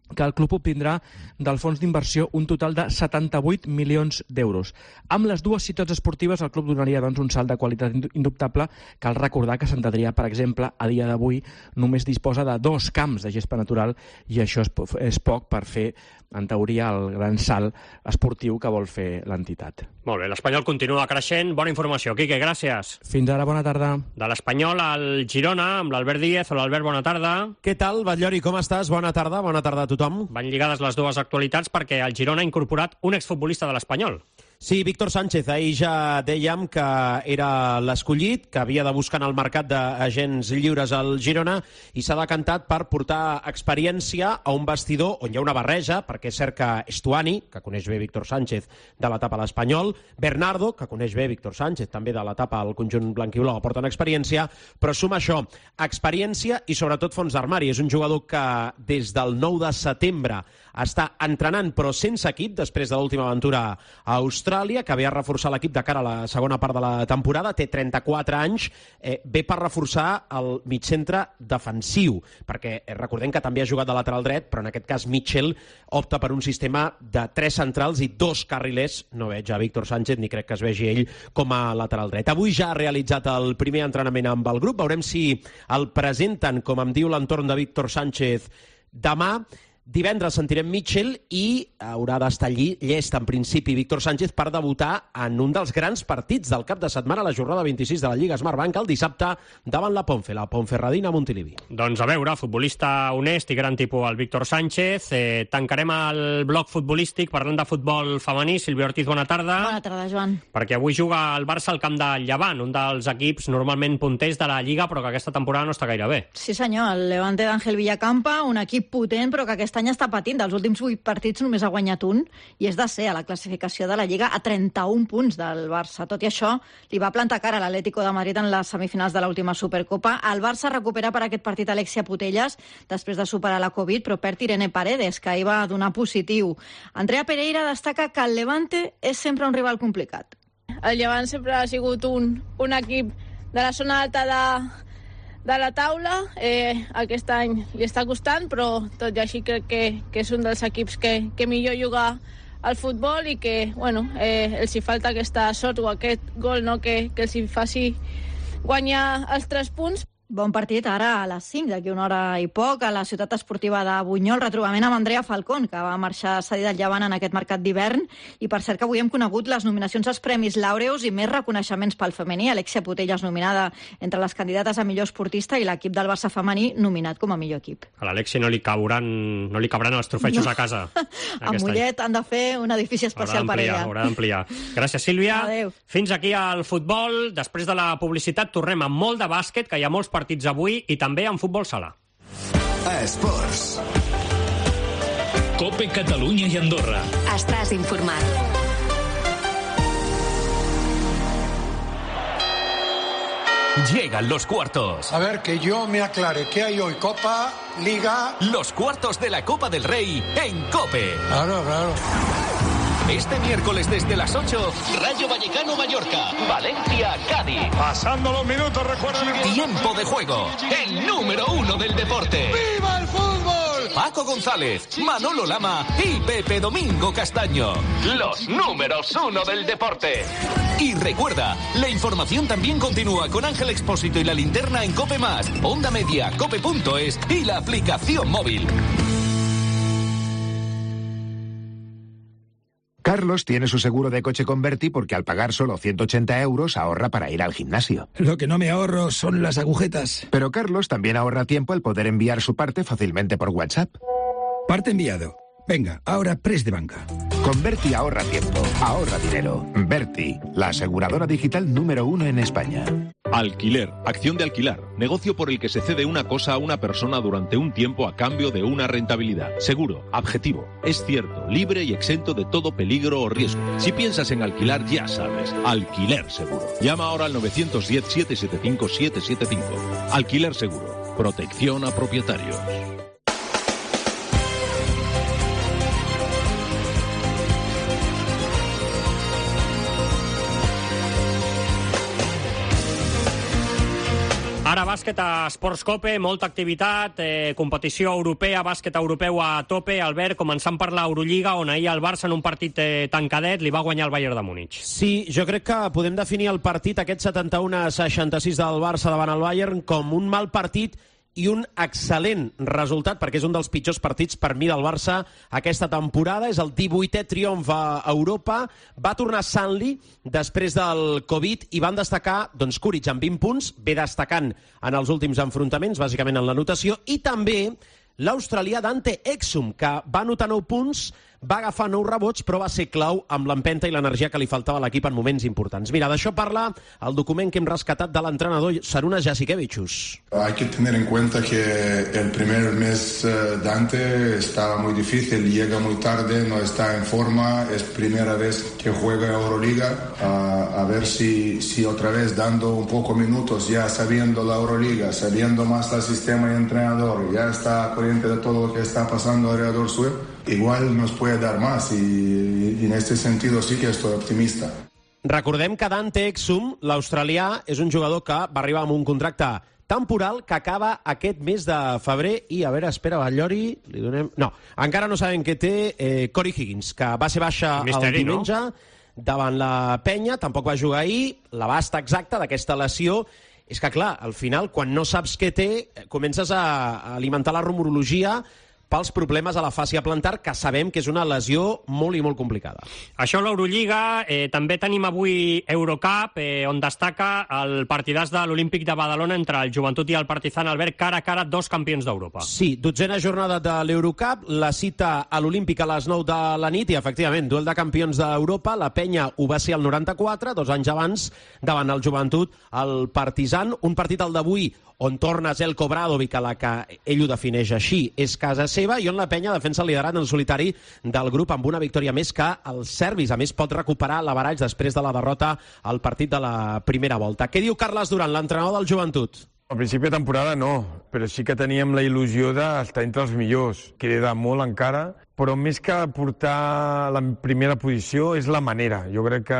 que el club obtindrà del fons d'inversió un total de 78 milions d'euros. Amb les dues ciutats esportives, el club donaria, doncs, un salt de qualitat indubtable. Cal recordar que Sant Adrià, per exemple, a dia d'avui només disposa de 2 camps de gespa natural i això és poc per fer, en teoria, el gran salt esportiu que vol fer l'entitat. Molt bé, l'Espanyol continua creixent. Bona informació. Quique, gràcies. Fins ara, bona tarda. De l'Espanyol al Girona, amb l'Albert Díez. Hola, Albert, bona tarda. Què tal, Batllori, com estàs? Bona tarda a tothom. Van lligades les dues actualitats perquè el Girona ha incorporat un exfutbolista de l'Espanyol. Sí, Víctor Sánchez, ahir ja dèiem que era l'escollit, que havia de buscar en el mercat d'agents lliures al Girona i s'ha decantat per portar experiència a un vestidor on hi ha una barreja, perquè és cert que Estuani, que coneix bé Víctor Sánchez de l'etapa a l'Espanyol, Bernardo, que coneix bé Víctor Sánchez també de l'etapa al conjunt blanquibló, aporten experiència, però suma això, experiència i sobretot fons d'armari. És un jugador que des del 9 de setembre està entrenant però sense equip després de l'última aventura a Austràlia, que ve a reforçar l'equip de cara a la segona part de la temporada, té 34 anys, ve per reforçar el mitjcentre defensiu, perquè recordem que també ha jugat de lateral dret, però en aquest cas Mitchell opta per un sistema de 3 centrals i 2 carrilers. No veig a Víctor Sánchez ni crec que es vegi ell com a lateral dret. Avui ja ha realitzat el primer entrenament amb el grup, veurem si el presenten, com em diu l'entorn de Víctor Sánchez, demà. Divendres sentirem Mitchell i haurà d'estar llest, en principi, Víctor Sánchez per debutar en un dels grans partits del cap de setmana, la jornada 26 de la Lliga Smartbank, el dissabte davant la Ponferradina Montilivi. Doncs a veure, futbolista honest i gran tipus el Víctor Sánchez. Tancarem el bloc futbolístic parlant de futbol femení. Sílvia Ortiz, bona tarda. Bona tarda, Joan. Perquè avui juga el Barça al camp del Llevant, un dels equips normalment punters de la Lliga, però que aquesta temporada no està gaire bé. Sí, senyor, el Levante d'Àngel Villacampa, un equip potent, però que aquest any està patint. Dels últims 8 partits només ha guanyat un i és de ser a la classificació de la Lliga a 31 punts del Barça. Tot i això, li va plantar cara a l'Atlético de Madrid en les semifinals de l'última Supercopa. El Barça recupera per aquest partit Alexia Putellas després de superar la Covid, però perd Irene Paredes, que ahir va donar positiu. Andrea Pereira destaca que el Levante és sempre un rival complicat. El Llevant sempre ha sigut un equip de la zona alta de la taula. Aquest any li està costant, però tot i així crec que és un dels equips que millor juga al futbol i que, bueno, els hi falta aquesta sort o aquest gol, no, que els hi faci guanyar els 3 punts. Bon partit ara a les 5, d'aquí una hora i poc, a la ciutat esportiva de Bunyol, retrobament amb Andrea Falcón, que va marxar cedida al Llevant en aquest mercat d'hivern, i per cert que avui hem conegut les nominacions als Premis Laureus i més reconeixements pel femení. Alexia Putellas nominada entre les candidates a millor esportista i l'equip del Barça femení nominat com a millor equip. A l'Alexia no li cabran els trofejos a casa. A Mollet han de fer un edifici especial per ella. Haurà d'ampliar. Gràcies, Sílvia. Adéu. Fins aquí al futbol. Després de la publicitat tornem amb molt de bàsquet, que hi ha molts partits avui, i també en futbol sala. Esports. COPE Catalunya i Andorra. Estàs informat. Llegan los cuartos. A ver, que yo me aclare. ¿Qué hay hoy? ¿Copa? ¿Liga? Los cuartos de la Copa del Rey en COPE. Claro, claro. Este miércoles desde las 8, Rayo Vallecano-Mallorca, Valencia-Cádiz. Pasando los minutos, recuerden. Tiempo de juego, el número 1 del deporte. ¡Viva el fútbol! Paco González, Manolo Lama y Pepe Domingo Castaño. Los números 1 del deporte. Y recuerda, la información también continúa con Ángel Expósito y la linterna en COPE+, Onda Media, cope.es y la aplicación móvil. Carlos tiene su seguro de coche Converti porque al pagar solo 180 euros ahorra para ir al gimnasio. Lo que no me ahorro son las agujetas. Pero Carlos también ahorra tiempo al poder enviar su parte fácilmente por WhatsApp. Parte enviado. Venga, ahora press de banca. Con Berti ahorra tiempo, ahorra dinero. Berti, la aseguradora digital número 1 en España. Alquiler, acción de alquilar, negocio por el que se cede una cosa a una persona durante un tiempo a cambio de una rentabilidad. Seguro, objetivo, es cierto, libre y exento de todo peligro o riesgo. Si piensas en alquilar, ya sabes, Alquiler Seguro. Llama ahora al 910-775-775. Alquiler Seguro, protección a propietarios. Ara bàsquet a Esports Cope, molta activitat, competició europea, bàsquet europeu a tope. Albert, començant per l'Eurolliga, on ahir el Barça en un partit tancadet li va guanyar el Bayern de Múnich. Sí, jo crec que podem definir el partit, aquest 71-66 del Barça davant el Bayern, com un mal partit i un excel·lent resultat, perquè és un dels pitjors partits per mi del Barça aquesta temporada. És el 18è triomf a Europa. Va tornar Sanli després del Covid i van destacar Kuric amb 20 punts, ve destacant en els últims enfrontaments, bàsicament en la notació, i també l'australià Dante Exum, que va anotar 9 punts, va agafar 9 rebots, però va ser clau amb l'empenta i l'energia que li faltava a l'equip en moments importants. Mira, d'això parla el document que hem rescatat de l'entrenador Šarūnas Jasikevičius. Hay que tener en cuenta que el primer mes Dante estaba muy difícil, llega muy tarde, no está en forma, es primera vez que juega Euroliga, a ver si otra vez dando un poco minutos, ya sabiendo la Euroliga, sabiendo más el sistema y entrenador, ya está corriente de todo lo que está pasando alrededor suyo, igual nos puede dar más y en este sentido sí que estoy optimista. Recordem que Dante Exum, l'australià, és un jugador que va arribar amb un contracte temporal que acaba aquest mes de febrer i, a veure, espera, Batllori, li donem... No, encara no sabem què té Corey Higgins, que va ser baixa el diumenge davant la Penya, tampoc va jugar ahir, l'abast exacte d'aquesta lesió. És que, clar, al final, quan no saps què té, comences a alimentar la rumorologia pels problemes a la fàscia plantar, que sabem que és una lesió molt i molt complicada. Això l'Eurolliga. També tenim avui Eurocup, on destaca el partidàs de l'Olímpic de Badalona entre el Joventut i el Partizan. Albert, cara a cara, dos campions d'Europa. Sí, 12a jornada de l'Eurocup, la cita a l'Olímpic a les 9 de la nit i, efectivament, duel de campions d'Europa. La Penya ho va ser el 94, 2 anys abans, davant el Joventut, el Partizan. Un partit, el d'avui, on torna Zeljko Obradović, a la que ell ho defineix així, és casa seva, i on la Penya defensa el liderat en solitari del grup amb una victòria més que els serbis. A més, pot recuperar l'average després de la derrota al partit de la primera volta. Què diu Carles Duran, l'entrenador del Joventut? Al principi de temporada no, però sí que teníem la il·lusió d'estar entre els millors. Queda molt encara, però més que portar la primera posició és la manera. Jo crec que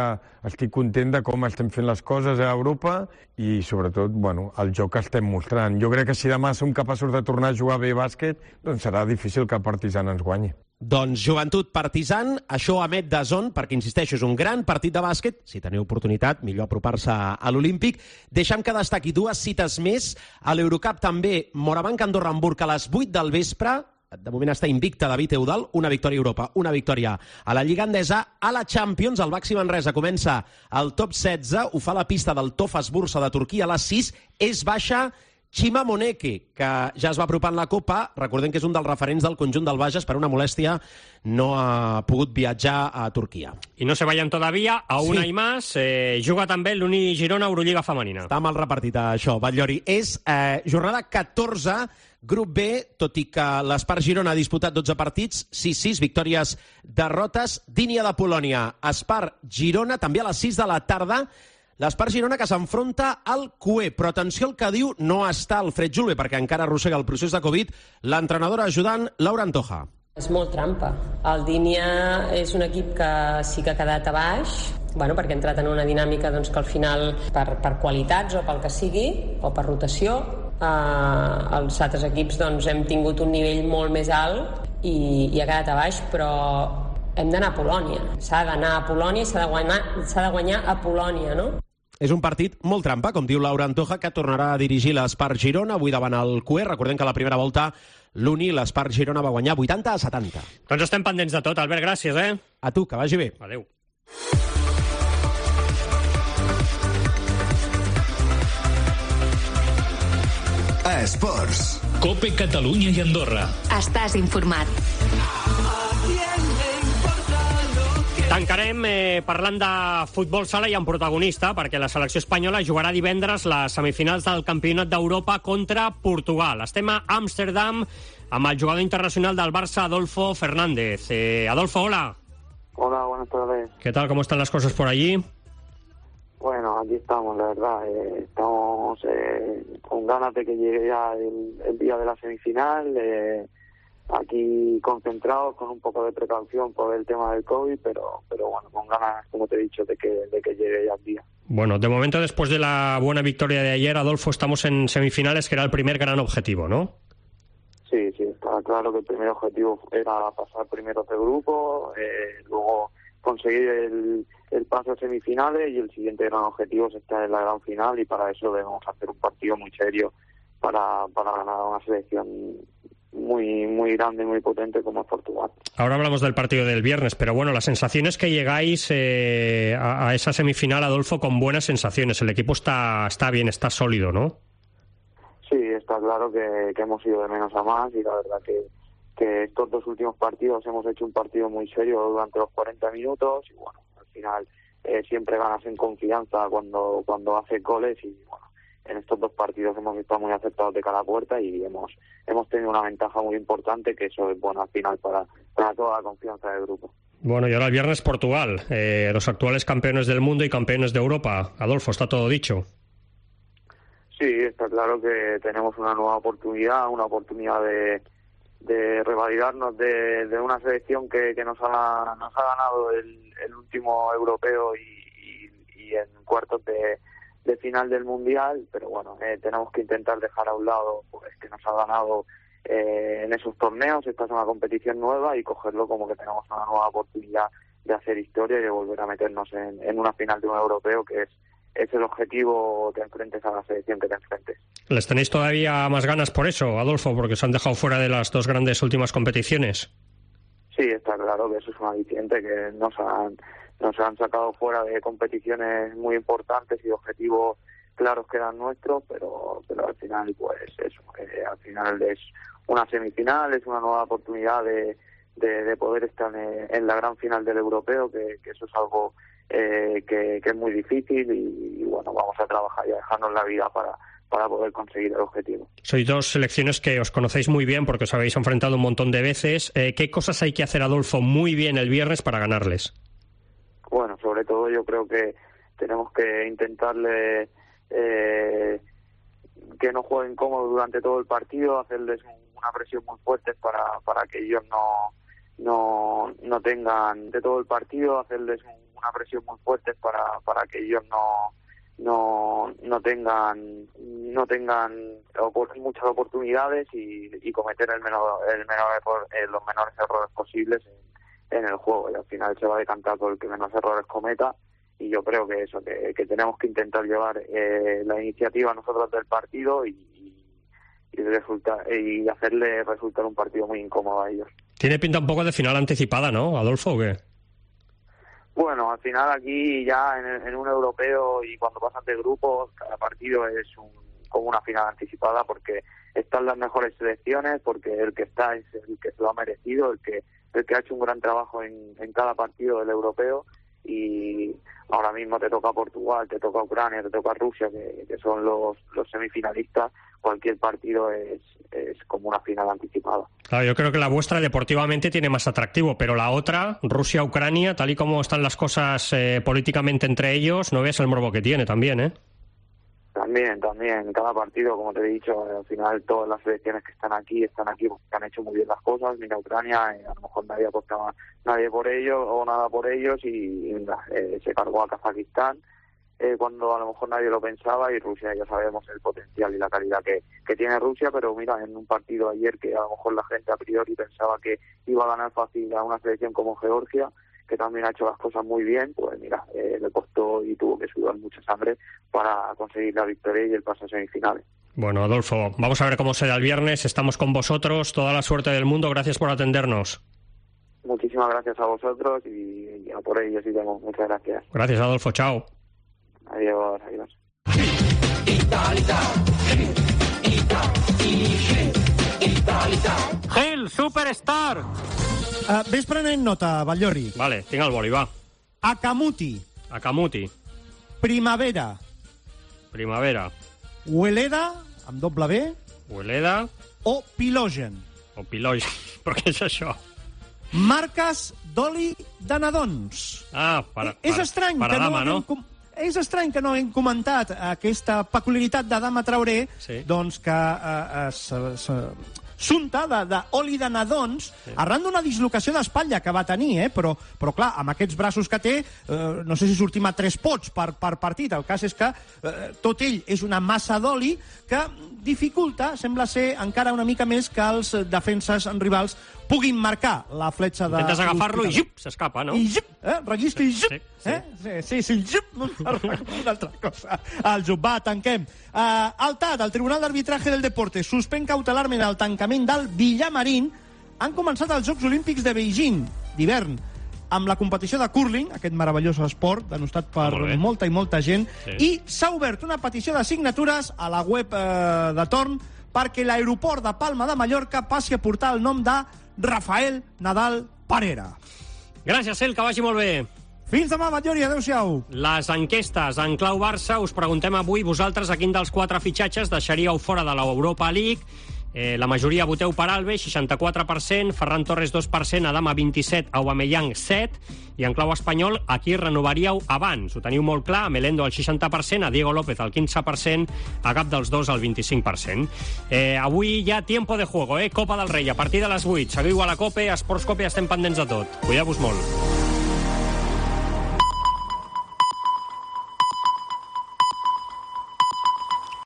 estic content de com estem fent les coses a Europa i, sobretot, el joc que estem mostrant. Jo crec que si demà som capaços de tornar a jugar bé bàsquet, doncs serà difícil que el Partizan ens guanyi. Doncs Joventut Partizan, això emet DAZN, perquè, insisteixo, és un gran partit de bàsquet. Si teniu oportunitat, millor apropar-se a l'Olímpic. Deixa'm que destaqui dues cites més. A l'Eurocup també, Morabanc-Andorra-Hamburg a les 8 del vespre. De moment està invicta David Eudal, una victòria a Europa, una victòria a la Lliga Endesa. A la Champions, el Baxi Manresa comença el top 16, ho fa a la pista del Tofaş Bursa de Turquia a les 6, és baixa Chima Moneke, que ja es va apropar en la Copa. Recordem que és un dels referents del conjunt del Bages, per una molèstia no ha pogut viatjar a Turquia. I no se vayan todavía, a una i más, juga també l'Uni Girona Eurolliga femenina. Està mal repartit això, Batllori. És jornada 14, grup B, tot i que l'Espart Girona ha disputat 12 partits, 6-6, victòries, derrotes. Dínia de Polònia, Espart Girona, també a les 6 de la tarda. L'Espart Girona que s'enfronta al CUE, però atenció al que diu, no està Alfred Julve, perquè encara arrossega el procés de Covid, l'entrenadora ajudant Laura Antoja. És molt trampa. El Dínia és un equip que sí que ha quedat a baix, perquè ha entrat en una dinàmica que al final, per qualitats o pel que sigui, o per rotació, els altres equips hem tingut un nivell molt més alt i ha quedat a baix, però hem d'anar a Polònia. S'ha d'anar a Polònia i s'ha de guanyar a Polònia, no? És un partit molt trampa, com diu Laura Antoja, que tornarà a dirigir l'Espart Girona, avui davant el CUE. Recordem que a la primera volta l'Uni, l'Espart Girona, va guanyar 80-70. Doncs estem pendents de tot. Albert, gràcies, A tu, que vagi bé. Adéu. Esports. Cope Catalunya i Andorra. Estàs informat. Tancarem parlant de futbol sala i amb protagonista, perquè la selecció espanyola jugarà divendres les semifinals del Campionat d'Europa contra Portugal. Estem a Amsterdam amb el jugador internacional del Barça, Adolfo Fernández. Adolfo, hola. Hola, buenas tardes. ¿Qué tal? ¿Cómo están las cosas por allí? Bueno, aquí estamos, la verdad. Estamos con ganas de que llegue ya el día de la semifinal. Aquí concentrados, con un poco de precaución por el tema del COVID, pero bueno, con ganas, como te he dicho, de que llegue ya el día. Bueno, de momento, después de la buena victoria de ayer, Adolfo, estamos en semifinales, que era el primer gran objetivo, ¿no? Sí, está claro que el primer objetivo era pasar primeros de grupo, luego conseguir el paso a semifinales, y el siguiente gran objetivo es estar en la gran final, y para eso debemos hacer un partido muy serio para ganar una selección muy grande y muy potente como es Portugal. Ahora hablamos del partido del viernes, pero bueno, las sensaciones que llegáis a esa semifinal, Adolfo, con buenas sensaciones. El equipo está bien, está sólido, ¿no? Sí, está claro que hemos ido de menos a más, y la verdad que estos dos últimos partidos hemos hecho un partido muy serio durante los 40 minutos, y bueno, al final siempre ganas en confianza cuando haces goles, y bueno, en estos dos partidos hemos estado muy acertados de cara a puerta y hemos tenido una ventaja muy importante, que eso es bueno al final para toda la confianza del grupo. Bueno, y ahora el viernes Portugal, los actuales campeones del mundo y campeones de Europa. Adolfo, ¿está todo dicho? Sí, está claro que tenemos una nueva oportunidad, de revalidarnos de una selección que nos ha ganado el último europeo y en cuartos de final del Mundial, pero bueno, tenemos que intentar dejar a un lado pues que nos ha ganado en esos torneos. Esta es una competición nueva, y cogerlo como que tenemos una nueva oportunidad de hacer historia y de volver a meternos en una final de un europeo, que es el objetivo, te enfrentes a la selección que te enfrentes. ¿Les tenéis todavía más ganas por eso, Adolfo, porque se han dejado fuera de las dos grandes últimas competiciones? Sí, está claro que eso es un aliciente, que nos han sacado fuera de competiciones muy importantes y objetivos claros que eran nuestros, pero al final pues eso, al final es una semifinal, es una nueva oportunidad de poder estar en la gran final del europeo, que eso es algo que es muy difícil, y bueno, vamos a trabajar y a dejarnos la vida para poder conseguir el objetivo. Sois dos selecciones que os conocéis muy bien porque os habéis enfrentado un montón de veces. ¿Qué cosas hay que hacer, Adolfo, muy bien el viernes para ganarles? Bueno, sobre todo yo creo que tenemos que intentarle que no jueguen cómodos durante todo el partido, hacerles una presión muy fuerte para que ellos no tengan de todo el partido, hacerles una presión muy fuerte para que ellos no tengan muchas oportunidades y cometer los menores errores posibles en el juego, y al final se va a decantar por el que menos errores cometa. Y yo creo que eso, que tenemos que intentar llevar la iniciativa nosotros del partido y hacerle resultar un partido muy incómodo a ellos. Tiene pinta un poco de final anticipada, ¿no, Adolfo, o qué? Bueno, al final aquí ya en un europeo, y cuando pasas de grupos, cada partido es como una final anticipada, porque están las mejores selecciones, porque el que está es el que se lo ha merecido, el que ha hecho un gran trabajo en cada partido del europeo, y ahora mismo te toca Portugal, te toca Ucrania, te toca Rusia, que son los semifinalistas. Cualquier partido es como una final anticipada. Claro, yo creo que la vuestra deportivamente tiene más atractivo, pero la otra, Rusia-Ucrania, tal y como están las cosas políticamente entre ellos, no ves el morbo que tiene también, ¿eh? También, cada partido, como te he dicho, al final todas las selecciones que están aquí porque han hecho muy bien las cosas. Mira, Ucrania, a lo mejor nadie apostaba nadie por ellos o nada por ellos, y se cargó a Kazajistán cuando a lo mejor nadie lo pensaba, y Rusia, ya sabemos el potencial y la calidad que tiene Rusia, pero mira, en un partido ayer que a lo mejor la gente a priori pensaba que iba a ganar fácil a una selección como Georgia, que también ha hecho las cosas muy bien, pues mira, le costó y tuvo que sudar mucha sangre para conseguir la victoria y el paso a semifinales. Bueno, Adolfo, vamos a ver cómo será el viernes, estamos con vosotros, toda la suerte del mundo, gracias por atendernos. Muchísimas gracias a vosotros y a por ellos, y muchas gracias. Gracias, Adolfo, chao. Adiós. Gil, Superstar! Ves prenent nota, Batllori. Vale, tinc el boli, va. Akamuti. Primavera. Hueleda, amb doble B. O Pilogen. Però què és això? Marques d'oli de nadons. És estrany que no hem comentat aquesta peculiaritat de Dama Traoré, doncs que s'unta d'oli de nadons arran d'una dislocació d'espatlla que va tenir, però clar, amb aquests braços que té, no sé si sortim a 3 pots per partit. El cas és que tot ell és una massa d'oli que dificulta, sembla ser, encara una mica més que els defenses rivals puguin marcar la fletxa de... Intentes agafar-lo i jup, s'escapa, no? I jup, rellisca i jup. Sí, jup, una altra cosa. El jup, va, tanquem. El TAD, el Tribunal d'Arbitraje del Deporte, suspèn cautelarment el tancament del Villamarín. Han començat els Jocs Olímpics de Beijing d'hivern amb la competició de curling, aquest meravellós esport denostat per molta i molta gent, i s'ha obert una petició de signatures a la web de torn perquè l'aeroport de Palma de Mallorca passi a portar el nom de Rafael Nadal Parera. Gràcies, Cel, que vagi molt bé. Fins demà, Batllori, adéu-siau. Les enquestes en clau Barça, us preguntem avui vosaltres a quin dels 4 fitxatges deixaríeu fora de l'Europa League. La majoria voteu per Alves, 64%, Ferran Torres 2%, Adama 27%, Aubameyang 7%, i en clau espanyol, a qui renovaríeu abans? Ho teniu molt clar, a Melendo al 60%, a Diego López al 15%, a cap dels dos al 25%. Avui hi ha tiempo de juego, Copa del Rei, a partir de les 8. Seguiu a la COPE, a Esports COPE, estem pendents de tot. Cuideu-vos molt.